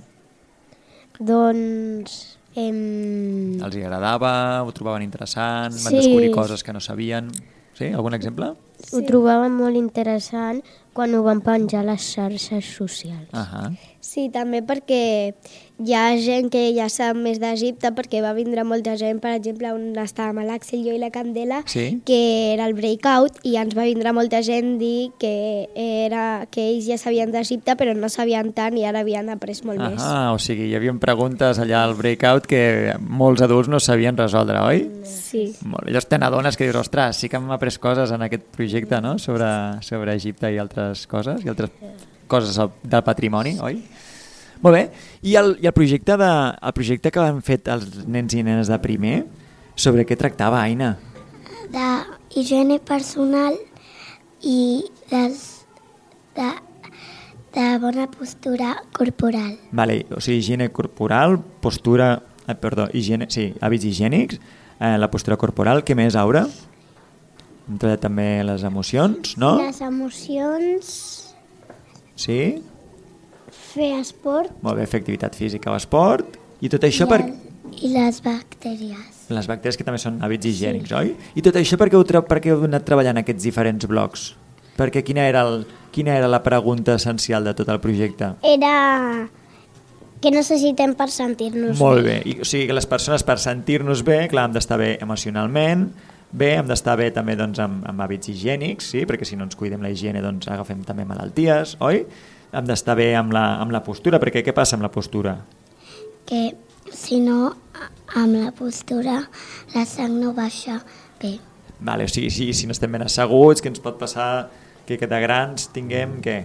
Doncs... Els hi agradava? Ho trobaven interessant? Van descobrir coses que no sabien? Sí? Algun exemple? Ho trobàvem molt interessant quan ho van penjar a les xarxes socials. Sí, també perquè hi ha gent que ja sap més d'Egipte, perquè va vindre molta gent, per exemple, on estàvem l'Àxel, jo i la Candela, que era el Breakout, i ens va vindre molta gent dir que ells ja sabien d'Egipte, però no sabien tant i ara havien après molt més. O sigui, hi havia preguntes allà al Breakout que molts adults no sabien resoldre, oi? Sí. Llavors te n'adones que dius, ostres, sí que hem après coses en aquest projecte, no?, sobre Egipte i altres coses, i altres coses del patrimoni, oi? Molt bé. I el projecte que han fet els nens i nenes de primer, sobre què tractava, Aina? De higiene personal i de bona postura corporal. Vale, o sigui, higiene corporal, postura... higiene, sí, hàbits higiènics, la postura corporal, què més, Aura? Hem treballat també les emocions, no? Les emocions... Sí? Fer esport. Molt bé, fer activitat física o esport. I tot això I les bactèries. Les bactèries que també són hàbits higiènics, oi? I tot això per què heu anat treballant aquests diferents blocs? Perquè quina era la pregunta essencial de tot el projecte? Era què necessitem per sentir-nos bé. Molt bé. O sigui, que les persones per sentir-nos bé, clar, hem d'estar bé emocionalment, hem d'estar bé també doncs, amb hàbits higiènics, sí? Perquè si no ens cuidem la higiene doncs agafem també malalties, oi? Hem d'estar bé amb la postura, perquè què passa amb la postura? Que si no, amb la postura la sang no baixa bé. Vale, o sigui, si no estem ben asseguts, què ens pot passar que de grans tinguem què?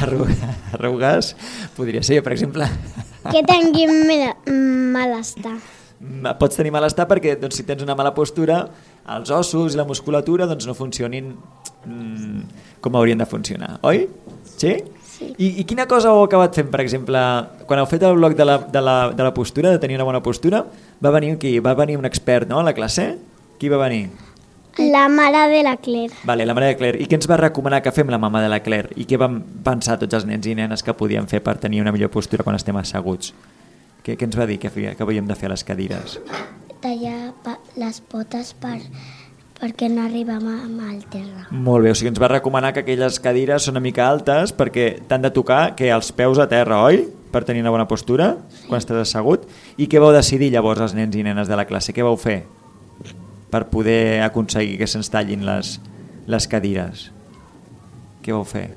Arrugues? Podria ser, per exemple. Que tinguin malestar. Pots tenir malestar perquè doncs, si tens una mala postura, els ossos i la musculatura doncs, no funcionin com haurien de funcionar, oi? Sí? Sí. I quina cosa heu acabat fent, per exemple, quan heu fet el bloc de la postura, de tenir una bona postura, va venir un expert, no?, a la classe? Qui va venir? La mare de la Claire. Vale, la mare de Claire. I què ens va recomanar que fem la mama de la Claire? I què vam pensar tots els nens i nenes que podíem fer per tenir una millor postura quan estem asseguts? Què ens va dir que havíem de fer a les cadires? Tallar les potes perquè no arribàvem al terra. Molt bé, o sigui, ens va recomanar que aquelles cadires són una mica altes perquè t'han de tocar que els peus a terra, oi? Per tenir una bona postura, quan estàs assegut. I què vau decidir llavors els nens i nenes de la classe? Què vau fer per poder aconseguir que se'ns tallin les cadires? Què vau fer?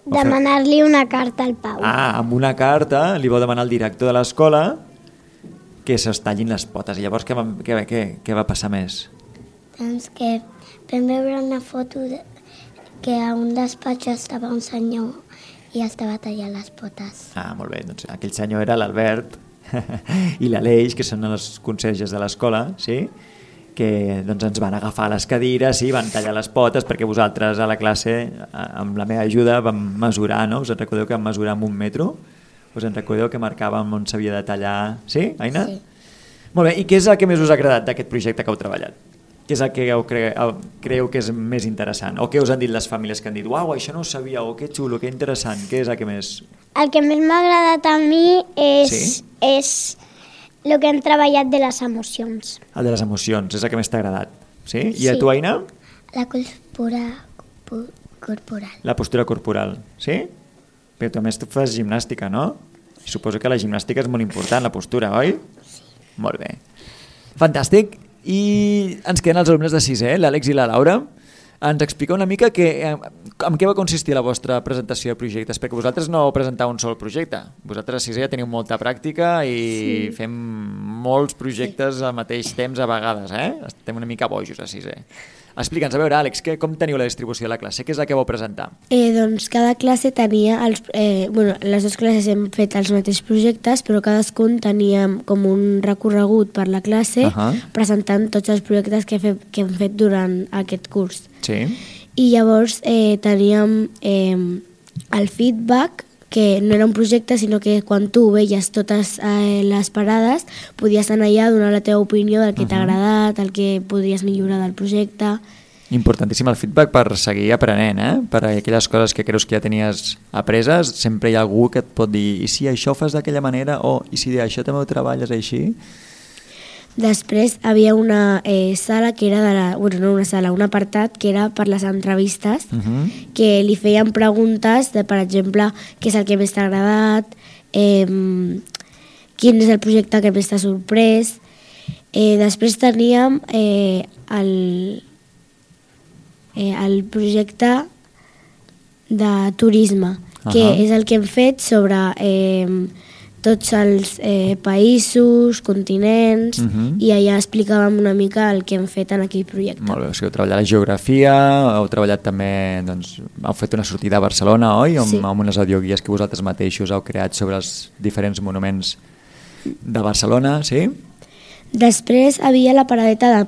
Demanar-li una carta al Pau. Amb una carta li vau demanar al director de l'escola que se'ls tallin les potes. I llavors què va passar més? Doncs que vam veure una foto que a un despatx estava un senyor i estava tallant les potes. Ah, molt bé, doncs aquell senyor era l'Albert i l'Aleix, que són els conserges de l'escola, sí? Que doncs, ens van agafar les cadires i van tallar les potes perquè vosaltres a la classe, amb la meva ajuda, vam mesurar, no? Us en recordeu que vam mesurar amb 1 metro? Us en recordeu que marcàvem on s'havia de tallar? Sí, Aina? Sí. Molt bé, i què és el que més us ha agradat d'aquest projecte que heu treballat? Què és el que creieu que és més interessant? O què us han dit les famílies que han dit uau, això no ho sabia, o que xulo, que interessant, què és el que més... El que més m'ha agradat a mi és... Sí? És el que hem treballat de les emocions. El de les emocions, és el que més t'ha agradat. Sí? I a Sí. tu, Aina? La cultura corporal. La postura corporal, sí? Però tu a més tu fas gimnàstica, no? I suposo que la gimnàstica és molt important, la postura, oi? Sí. Molt bé. Fantàstic. I ens queden els alumnes de 6è, l'Àlex i la Laura. Ens explica una mica en què va consistir la vostra presentació de projectes, perquè vosaltres no heu presentat un sol projecte. Vosaltres a 6è ja teniu molta pràctica i fem molts projectes al mateix temps a vegades, Estem una mica bojos a 6è. Explica'ns, a veure, Àlex, com teniu la distribució de la classe? Què és el que vau presentar? Doncs cada classe tenia... les dues classes hem fet els mateixos projectes, però cadascun tenia com un recorregut per la classe presentant tots els projectes que hem fet durant aquest curs. Sí. I llavors teníem el feedback, que no era un projecte, sinó que quan tu veies totes les parades podies anar allà a donar la teva opinió del que t'ha agradat, el que podries millorar del projecte. Importantíssim el feedback per seguir aprenent, per aquelles coses que creus que ja tenies apreses, sempre hi ha algú que et pot dir i si això ho fas d'aquella manera, o i si això també ho treballes així. Després havia una sala que era no una sala, un apartat que era per les entrevistes, que li feien preguntes de, per exemple, què és el que més t'ha agradat, quin és el projecte que més t'ha sorprès. Després teníem el projecte de turisme, que és el que hem fet sobre tots els països, continents, i allà explicàvem una mica el que hem fet en aquell projecte. Molt bé, o sigui, heu treballat la geografia, heu treballat també, doncs, heu fet una sortida a Barcelona, oi? Amb unes audioguies que vosaltres mateixos heu creat sobre els diferents monuments de Barcelona, sí? Després havia la paradeta de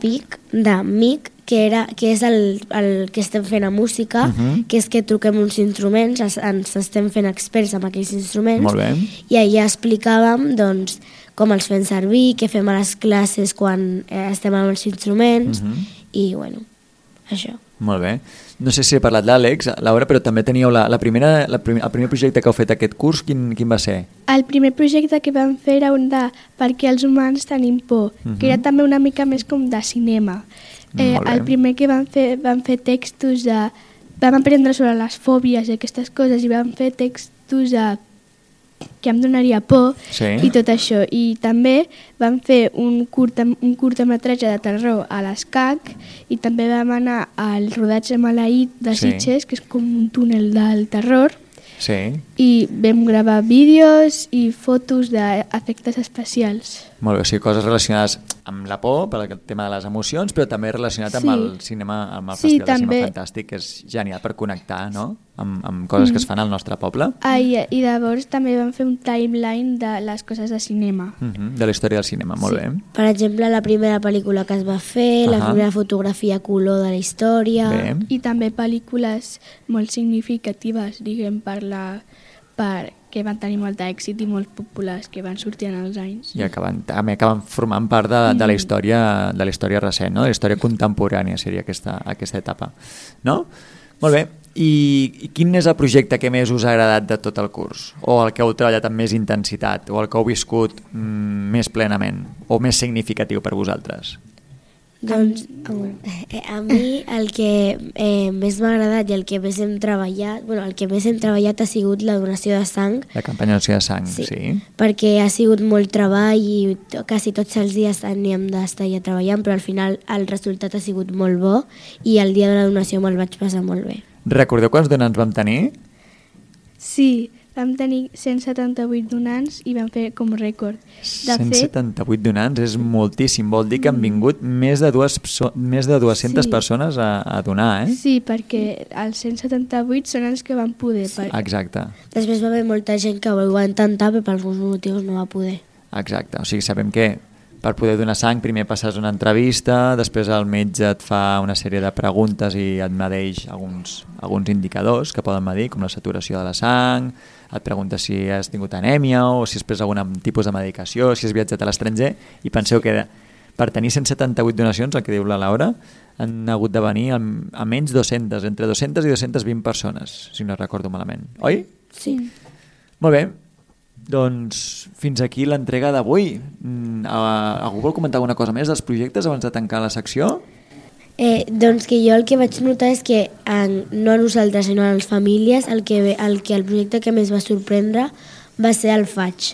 MIC, que és el que estem fent a música, que és que truquem uns instruments, ens estem fent experts amb aquells instruments. Molt bé. I allà explicàvem doncs, com els fem servir, què fem a les classes quan estem amb els instruments, i bueno, això. Molt bé. No sé si he parlat l'Àlex, Laura, però també teníeu el primer projecte que heu fet aquest curs, quin va ser? El primer projecte que vam fer era un de Per què els humans tenim por, que era també una mica més com de cinema. El primer que vam fer textos de... Vam aprendre sobre les fòbies i aquestes coses i vam fer textos de que em donaria por i tot això. I també vam fer un curtmetratge de terror a l'ESCAC i també vam anar al rodatge maleït de Sitges, que és com un túnel del terror. I vam gravar vídeos i fotos d'efectes especials. Molt bé, o sigui, coses relacionades amb la por, per el tema de les emocions, però també relacionat amb el cinema, amb el Festival de Cinema Fantàstic, que és genial per connectar, no?, amb coses que es fan al nostre poble. I llavors també vam fer un timeline de les coses de cinema. De la història del cinema, molt bé. Per exemple, la primera pel·lícula que es va fer, la primera fotografia a color de la història... I també pel·lícules molt significatives, diguem, que van tenir molt d'èxit i molt populars, que van sortir en els anys. I també acaben formant part de la història recent, no? De la història contemporània seria aquesta etapa. No? Molt bé. I quin és el projecte que més us ha agradat de tot el curs? O el que heu treballat amb més intensitat? O el que heu viscut més plenament? O més significatiu per vosaltres? Doncs a mi el que més m'ha agradat i el que més hem treballat ha sigut la donació de sang. La campanya de donació de sang, sí. Perquè ha sigut molt treball i quasi tots els dies teníem d'estar allà treballant, però al final el resultat ha sigut molt bo i el dia de la donació me'l vaig passar molt bé. Recordeu quants donants vam tenir? Sí, vam tenir 178 donants i vam fer com rècord. De 178 donants és moltíssim, vol dir que han vingut més de 200 persones a donar, eh? Sí, perquè els 178 són els que van poder. Exacte. Després va haver molta gent que ho va intentar, però per alguns motius no va poder. Exacte, o sigui, sabem que per poder donar sang primer passes una entrevista, després el metge et fa una sèrie de preguntes i et medeix alguns indicadors que poden medir, com la saturació de la sang, et pregunta si has tingut anèmia o si has pres algun tipus de medicació, si has viatjat a l'estranger, i penseu que per tenir 178 donacions, el que diu la Laura, han hagut de venir a menys 200, entre 200 i 220 persones, si no recordo malament. Oi? Sí. Molt bé. Doncs fins aquí l'entrega d'avui. Algú vol comentar alguna cosa més dels projectes abans de tancar la secció? Doncs que jo el que vaig notar és que no a nosaltres sinó a les famílies el projecte que més va sorprendre va ser el faig,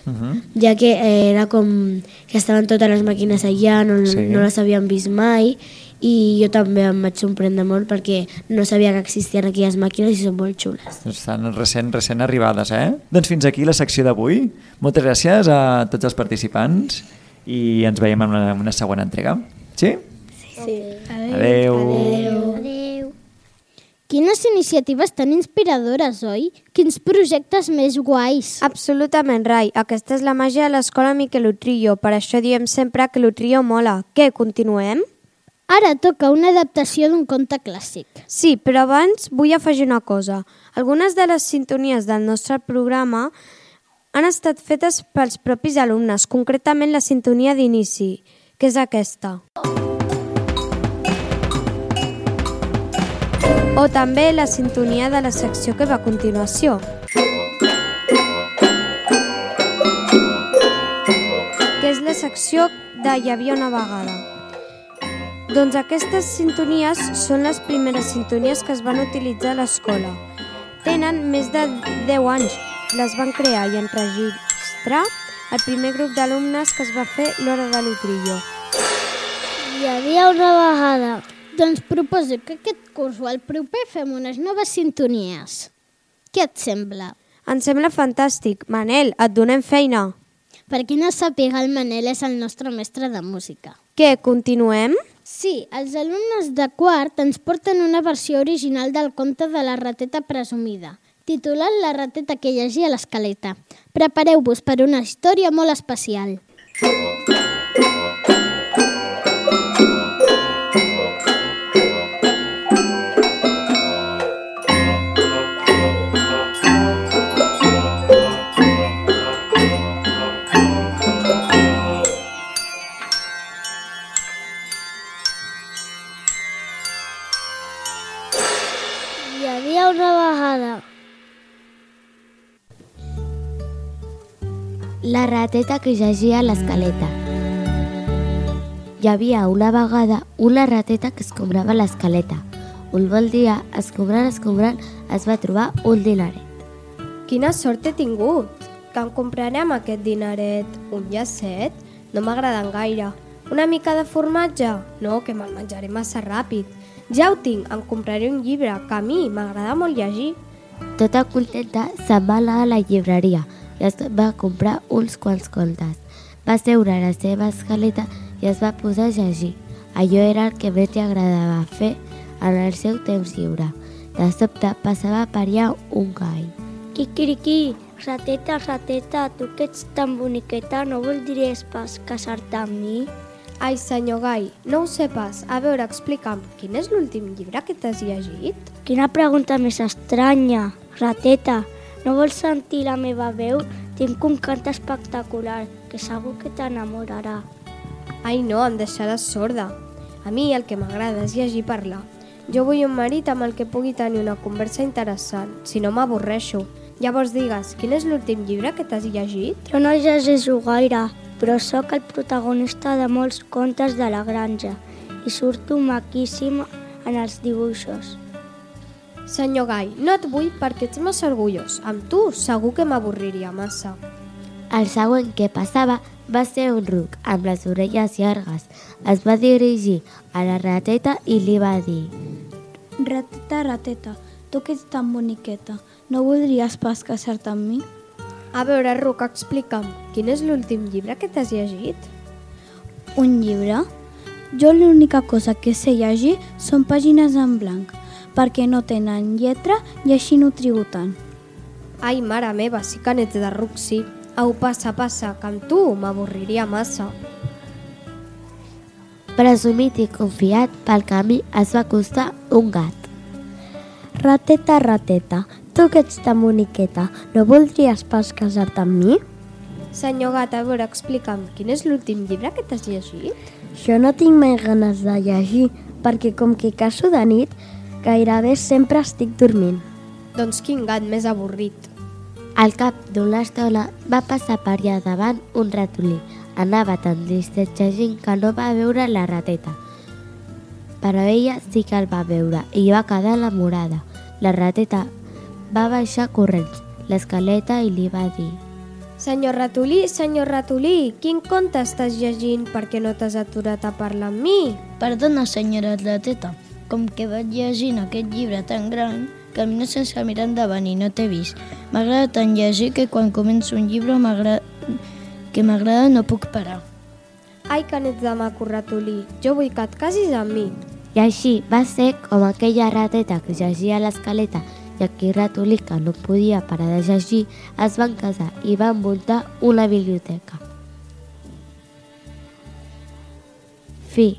ja que era com que estaven totes les màquines allà, no les havíem vist mai, i jo també em vaig sorprendre molt perquè no sabia que existien aquelles màquines i són molt xules. Estan recent arribades, eh? Doncs fins aquí la secció d'avui. Moltes gràcies a tots els participants i ens veiem en una següent entrega. Sí? Sí. Adeu. Adeu. Quines iniciatives tan inspiradores, oi? Quins projectes més guais. Absolutament, Rai. Aquesta és la màgia de l'escola Miquel Utrillo. Per això diem sempre que l'Utrillo mola. Què, continuem? Ara toca una adaptació d'un conte clàssic. Sí, però abans vull afegir una cosa. Algunes de les sintonies del nostre programa han estat fetes pels propis alumnes, concretament la sintonia d'inici, que és aquesta. O també la sintonia de la secció que va a continuació. Que és la secció de Hi havia una vegada. Doncs aquestes sintonies són les primeres sintonies que es van utilitzar a l'escola. Tenen més de 10 anys. Les van crear i enregistrar el primer grup d'alumnes que es va fer l'Hora de l'Utrillo. Hi havia una vegada. Doncs proposo que aquest curs o el proper fem unes noves sintonies. Què et sembla? Em sembla fantàstic. Manel, et donem feina. Per qui no sàpiga, el Manel és el nostre mestre de música. Què, continuem? Sí, els alumnes de quart ens porten una versió original del conte de la rateta presumida, titulat La rateta que llegia l'escaleta. Prepareu-vos per una història molt especial. La rateta que llegia l'escaleta. Hi havia una vegada una rateta que escombrava l'escaleta. Un bon dia, escombrant, es va trobar un dinaret. Quina sort he tingut! Que em comprarem aquest dinaret? Un llacet? No m'agraden gaire. Una mica de formatge? No, que me'l menjaré massa ràpid. Ja ho tinc, em compraré un llibre, que a mi m'agrada molt llegir. Tota contenta, se'n va anar a la llibreria i es va comprar uns quants contes. Va seure a la seva escaleta i es va posar a llegir. Allò era el que més li agradava fer en el seu temps lliure. De sobte passava per allà un gall. Quiquiriquí, rateta, rateta, tu que ets tan boniqueta, no voldries pas casar-te amb mi? Ai, senyor Gai, no ho sé pas. A veure, explica'm, quin és l'últim llibre que t'has llegit? Quina pregunta més estranya. Rateta, no vols sentir la meva veu? Tinc un cant espectacular, que segur que t'enamorarà. Ai, no, em deixaràs sorda. A mi el que m'agrada és llegir i parlar. Jo vull un marit amb el que pugui tenir una conversa interessant, si no m'avorreixo. Llavors digues, quin és l'últim llibre que t'has llegit? Jo no llegeixo gaire, però sóc el protagonista de molts contes de la granja i surto maquíssim en els dibuixos. Senyor Gai, no et vull perquè ets massa orgullós. Amb tu segur que m'avorriria massa. El següent que passava va ser un ruc amb les orelles llargues. Es va dirigir a la rateta i li va dir: Rateta, rateta, tu que ets tan boniqueta, no voldries pas casar-te amb mi? A veure, Ruc, explica'm, quin és l'últim llibre que t'has llegit? Un llibre? Jo l'única cosa que sé llegir són pàgines en blanc, perquè no tenen lletra i així no trigo tant. Ai, mare meva, sí que n'ets de Ruc, sí. Au, passa, que amb tu m'avorriria massa. Presumit i confiat, pel camí es va acostar un gat. Rateta, rateta, tu que ets tan boniqueta, no voldries pas casar-te amb mi? Senyor gat, a veure, explica'm, quin és l'últim llibre que t'has llegit? Jo no tinc mai ganes de llegir, perquè com que caso de nit, gairebé sempre estic dormint. Doncs quin gat més avorrit. Al cap d'una estona va passar per allà davant un ratolí. Anava tan distret llegint que no va veure la rateta. Però ella sí que el va veure i va quedar enamorada. La rateta va baixar corrents l'escaleta i li va dir: Senyor ratolí, quin conte estàs llegint perquè no t'has aturat a parlar amb mi? Perdona, senyora rateta, com que vaig llegint aquest llibre tan gran, camino sense mirar endavant i no t'he vist. M'agrada tant llegir que quan començo un llibre que m'agrada no puc parar. Ai, que n'ets de maco, ratolí. Jo vull que et casis amb mi. I així va ser com aquella rateta que llegia a l'escaleta i aquell ratolí que no podia parar de llegir es van casar i van muntar una biblioteca. Fi.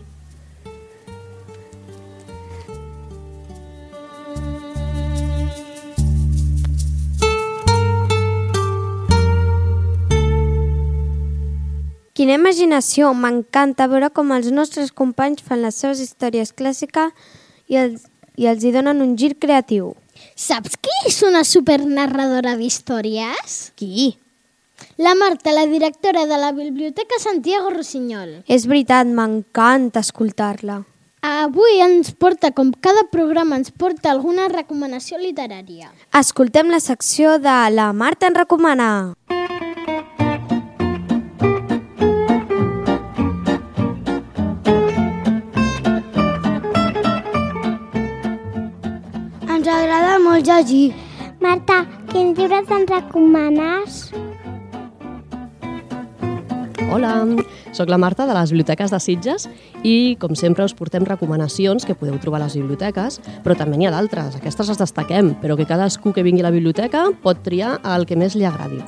Quina imaginació! M'encanta veure com els nostres companys fan les seves històries clàssiques i els hi donen un gir creatiu. Saps qui és una supernarradora d'històries? Qui? La Marta, la directora de la Biblioteca Santiago Rossinyol. És veritat, m'encanta escoltar-la. Avui ens porta, com cada programa, ens porta alguna recomanació literària. Escoltem la secció de La Marta en recomana. Ens agrada molt llegir. Marta, quins llibres ens recomanes? Hola, sóc la Marta de les Biblioteques de Sitges i, com sempre, us portem recomanacions que podeu trobar a les biblioteques, però també n'hi ha d'altres. Aquestes les destaquem, però que cadascú que vingui a la biblioteca pot triar el que més li agradi.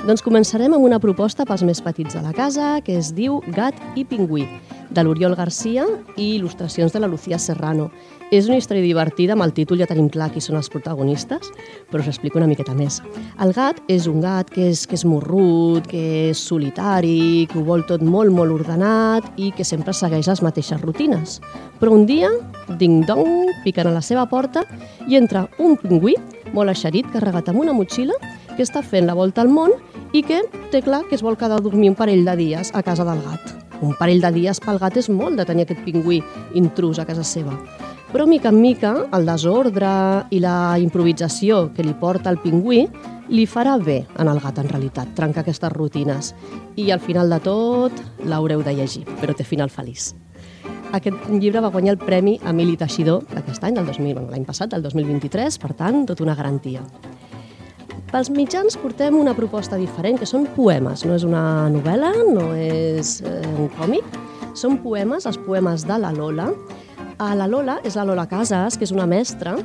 Doncs començarem amb una proposta pels més petits de la casa que es diu Gat i Pingüí, de l'Oriol Garcia i il·lustracions de la Lucía Serrano. És una història divertida, amb el títol ja tenim clar qui són els protagonistes, però us explico una miqueta més. El gat és un gat que és morrut, que és solitari, que ho vol tot molt, molt ordenat i que sempre segueix les mateixes rutines. Però un dia, ding-dong, piquen a la seva porta i entra un pingüí molt eixerit, carregat amb una motxilla, que està fent la volta al món i que té clar que es vol quedar a dormir un parell de dies a casa del gat. Un parell de dies pel gat és molt de tenir aquest pingüí intrús a casa seva. Però, mica en mica, el desordre i la improvisació que li porta el pingüí li farà bé en el gat, en realitat, trencar aquestes rutines. I al final de tot l'haureu de llegir, però té final feliç. Aquest llibre va guanyar el Premi Emili Teixidor d'aquest any, l'any passat, del 2023, per tant, tota una garantia. Pels mitjans portem una proposta diferent, que són poemes. No és una novel·la, no és un còmic, són poemes, els poemes de la Lola. La Lola és la Lola Casas, que és una mestra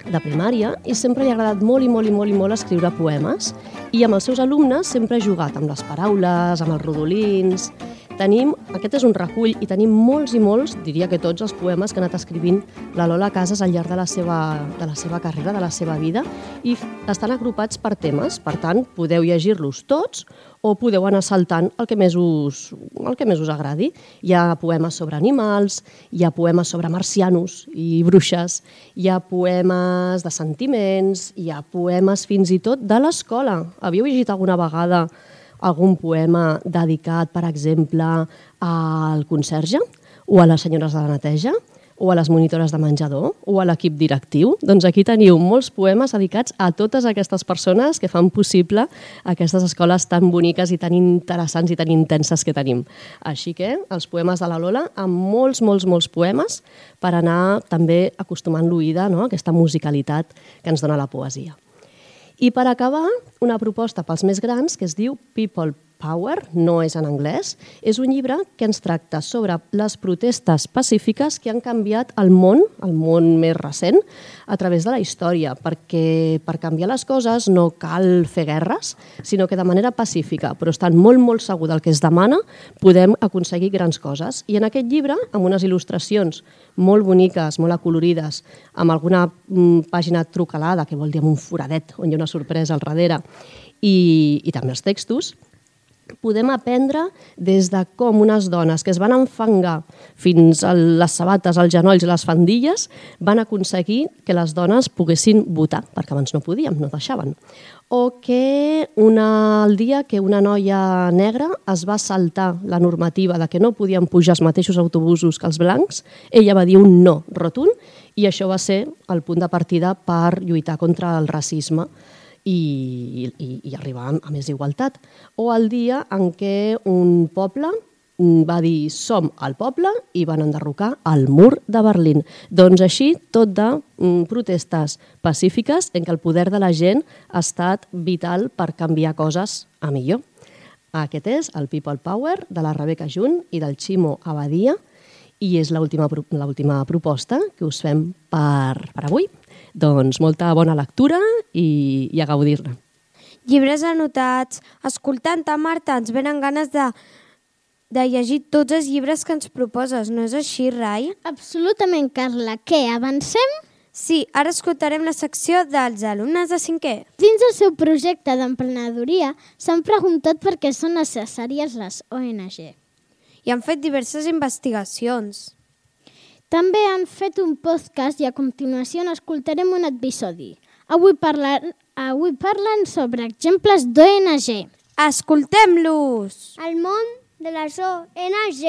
de primària i sempre li ha agradat molt i molt i molt i molt escriure poemes i amb els seus alumnes sempre ha jugat amb les paraules, amb els rodolins. Aquest és un recull i tenim molts i molts, diria que tots els poemes que ha anat escrivint la Lola Casas al llarg de la seva carrera, de la seva vida, i estan agrupats per temes. Per tant, podeu llegir-los tots o podeu anar saltant el que més us agradi. Hi ha poemes sobre animals, hi ha poemes sobre marcianos i bruixes, hi ha poemes de sentiments, hi ha poemes fins i tot de l'escola. Havíeu llegit alguna vegada algun poema dedicat, per exemple, al conserge o a les senyores de la neteja o a les monitores de menjador, o a l'equip directiu. Doncs aquí teniu molts poemes dedicats a totes aquestes persones que fan possible aquestes escoles tan boniques i tan interessants i tan intenses que tenim. Així que els poemes de la Lola, amb molts poemes per anar també acostumant l'oïda, no?, a aquesta musicalitat que ens dona la poesia. I per acabar, una proposta pels més grans que es diu People Power, no és en anglès, és un llibre que ens tracta sobre les protestes pacífiques que han canviat el món més recent, a través de la història, perquè per canviar les coses no cal fer guerres, sinó que de manera pacífica, però estant molt segur del que es demana, podem aconseguir grans coses. I en aquest llibre, amb unes il·lustracions molt boniques, molt acolorides, amb alguna pàgina trucalada, que vol dir amb un foradet, on hi ha una sorpresa al darrere, i també els textos, podem aprendre des de com unes dones que es van enfangar fins a les sabates, als genolls i les faldilles van aconseguir que les dones poguessin votar, perquè abans no podíem, no deixaven. O que el dia que una noia negra es va saltar la normativa de que no podien pujar els mateixos autobusos que els blancs, ella va dir un no rotund i això va ser el punt de partida per lluitar contra el racisme i arribar a més igualtat. O el dia en què un poble va dir som el poble i van enderrocar el mur de Berlín. Doncs així, tot de protestes pacífiques en què el poder de la gent ha estat vital per canviar coses a millor. Aquest és el People Power de la Rebeca Junt i del Ximo Abadia i és l'última proposta que us fem per avui. Doncs molta bona lectura i a gaudir-ne. Llibres anotats. Escoltant-te, Marta, ens venen ganes de llegir tots els llibres que ens proposes. No és així, Rai? Absolutament, Carla. Què, avancem? Sí, ara escoltarem la secció dels alumnes de 5è. Dins el seu projecte d'emprenedoria s'han preguntat per què són necessàries les ONG. I han fet diverses investigacions. També han fet un podcast i a continuació n'escoltarem un episodi. Avui parlen sobre exemples d'ONG. Escoltem-los! El món de les ONG.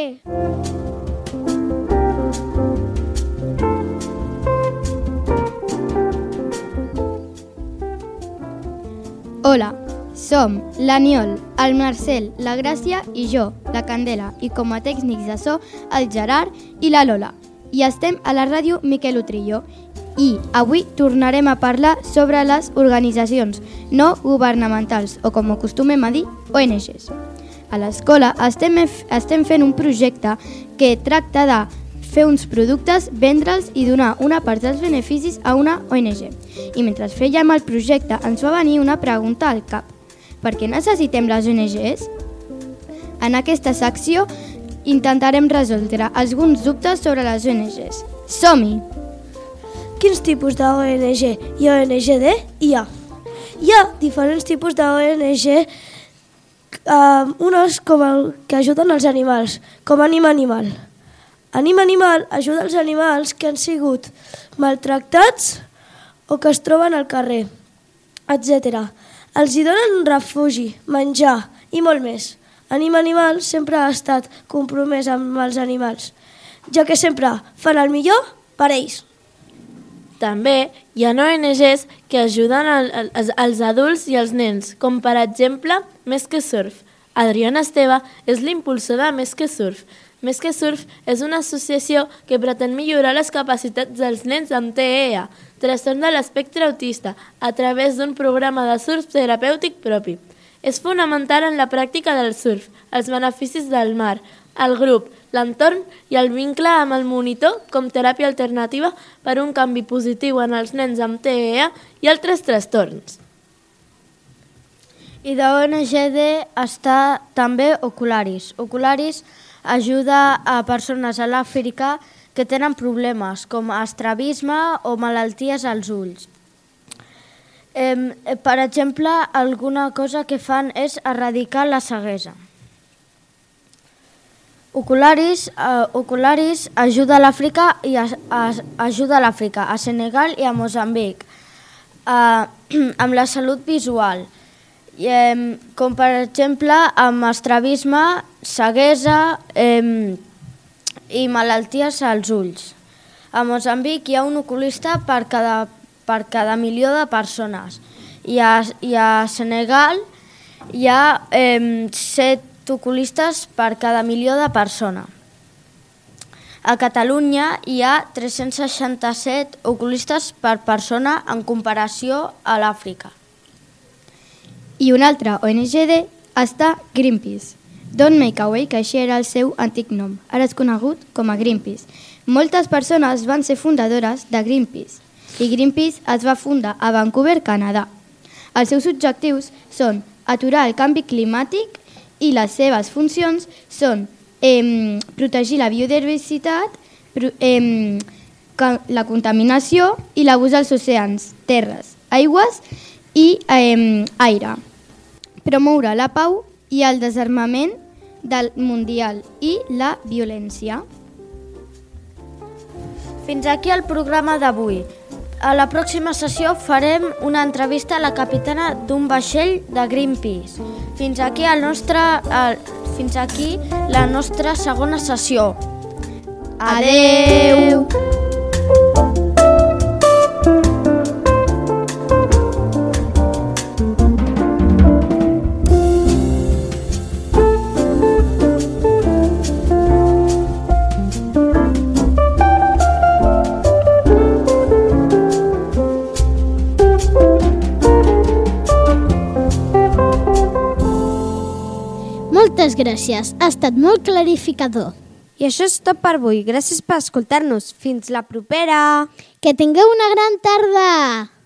Hola, som l'Aniol, el Marcel, la Gràcia i jo, la Candela, i com a tècnics de so, el Gerard i la Lola. I estem a la ràdio Miquel Utrillo i avui tornarem a parlar sobre les organitzacions no governamentals o, com acostumem a dir, ONGs. A l'escola estem fent un projecte que tracta de fer uns productes, vendre'ls i donar una part dels beneficis a una ONG. I mentre fèiem el projecte ens va venir una pregunta al cap. Per què necessitem les ONGs? En aquesta secció intentarem resoldre alguns dubtes sobre les ONGs. Som-hi! Quins tipus d'ONG i ONGD hi ha? Hi ha diferents tipus d'ONG, unes com el que ajuden els animals, com Anima Animal. Anima Animal ajuda els animals que han sigut maltractats o que es troben al carrer, etc. Els hi donen refugi, menjar i molt més. Anima Animal sempre ha estat compromès amb els animals, ja que sempre fan el millor per ells. També hi ha ONGs que ajuden els adults i els nens, com per exemple Més que Surf. Adriana Esteve és l'impulsor de Més que Surf. Més que Surf és una associació que pretén millorar les capacitats dels nens amb TEA, trastorn de l'espectre autista, a través d'un programa de surf terapèutic propi. És fonamental en la pràctica del surf, els beneficis del mar, el grup, l'entorn i el vincle amb el monitor com teràpia alternativa per un canvi positiu en els nens amb TEA i altres trastorns. I d'ONGD està també Ocularis. Ocularis ajuda a persones a l'Àfrica que tenen problemes com estrabisme o malalties als ulls. Per exemple, alguna cosa que fan és erradicar la ceguesa. Ocularis ajuda a l'Àfrica i ajuda a l'Àfrica, a Senegal i a Moçambic, amb la salut visual, com per exemple amb estrabisme, ceguesa i malalties als ulls. A Moçambic hi ha un oculista per cada milió de persones. I a Senegal hi ha 7 oculistes per cada milió de persones. A Catalunya hi ha 367 oculistes per persona en comparació a l'Àfrica. I una altra ONG està Greenpeace. Don't Make Away, que així era el seu antic nom. Ara és conegut com a Greenpeace. Moltes persones van ser fundadores de Greenpeace i Greenpeace es va fundar a Vancouver, Canadà. Els seus objectius són aturar el canvi climàtic i les seves funcions són protegir la biodiversitat, la contaminació i l'abús dels oceans, terres, aigües i aire. Promoure la pau i el desarmament del mundial i la violència. Fins aquí el programa d'avui. A la pròxima sessió farem una entrevista a la capitana d'un vaixell de Greenpeace. Fins aquí la nostra segona sessió. Adeu! Moltes gràcies, ha estat molt clarificador. I això és tot per avui. Gràcies per escoltar-nos. Fins la propera! Que tingueu una gran tarda!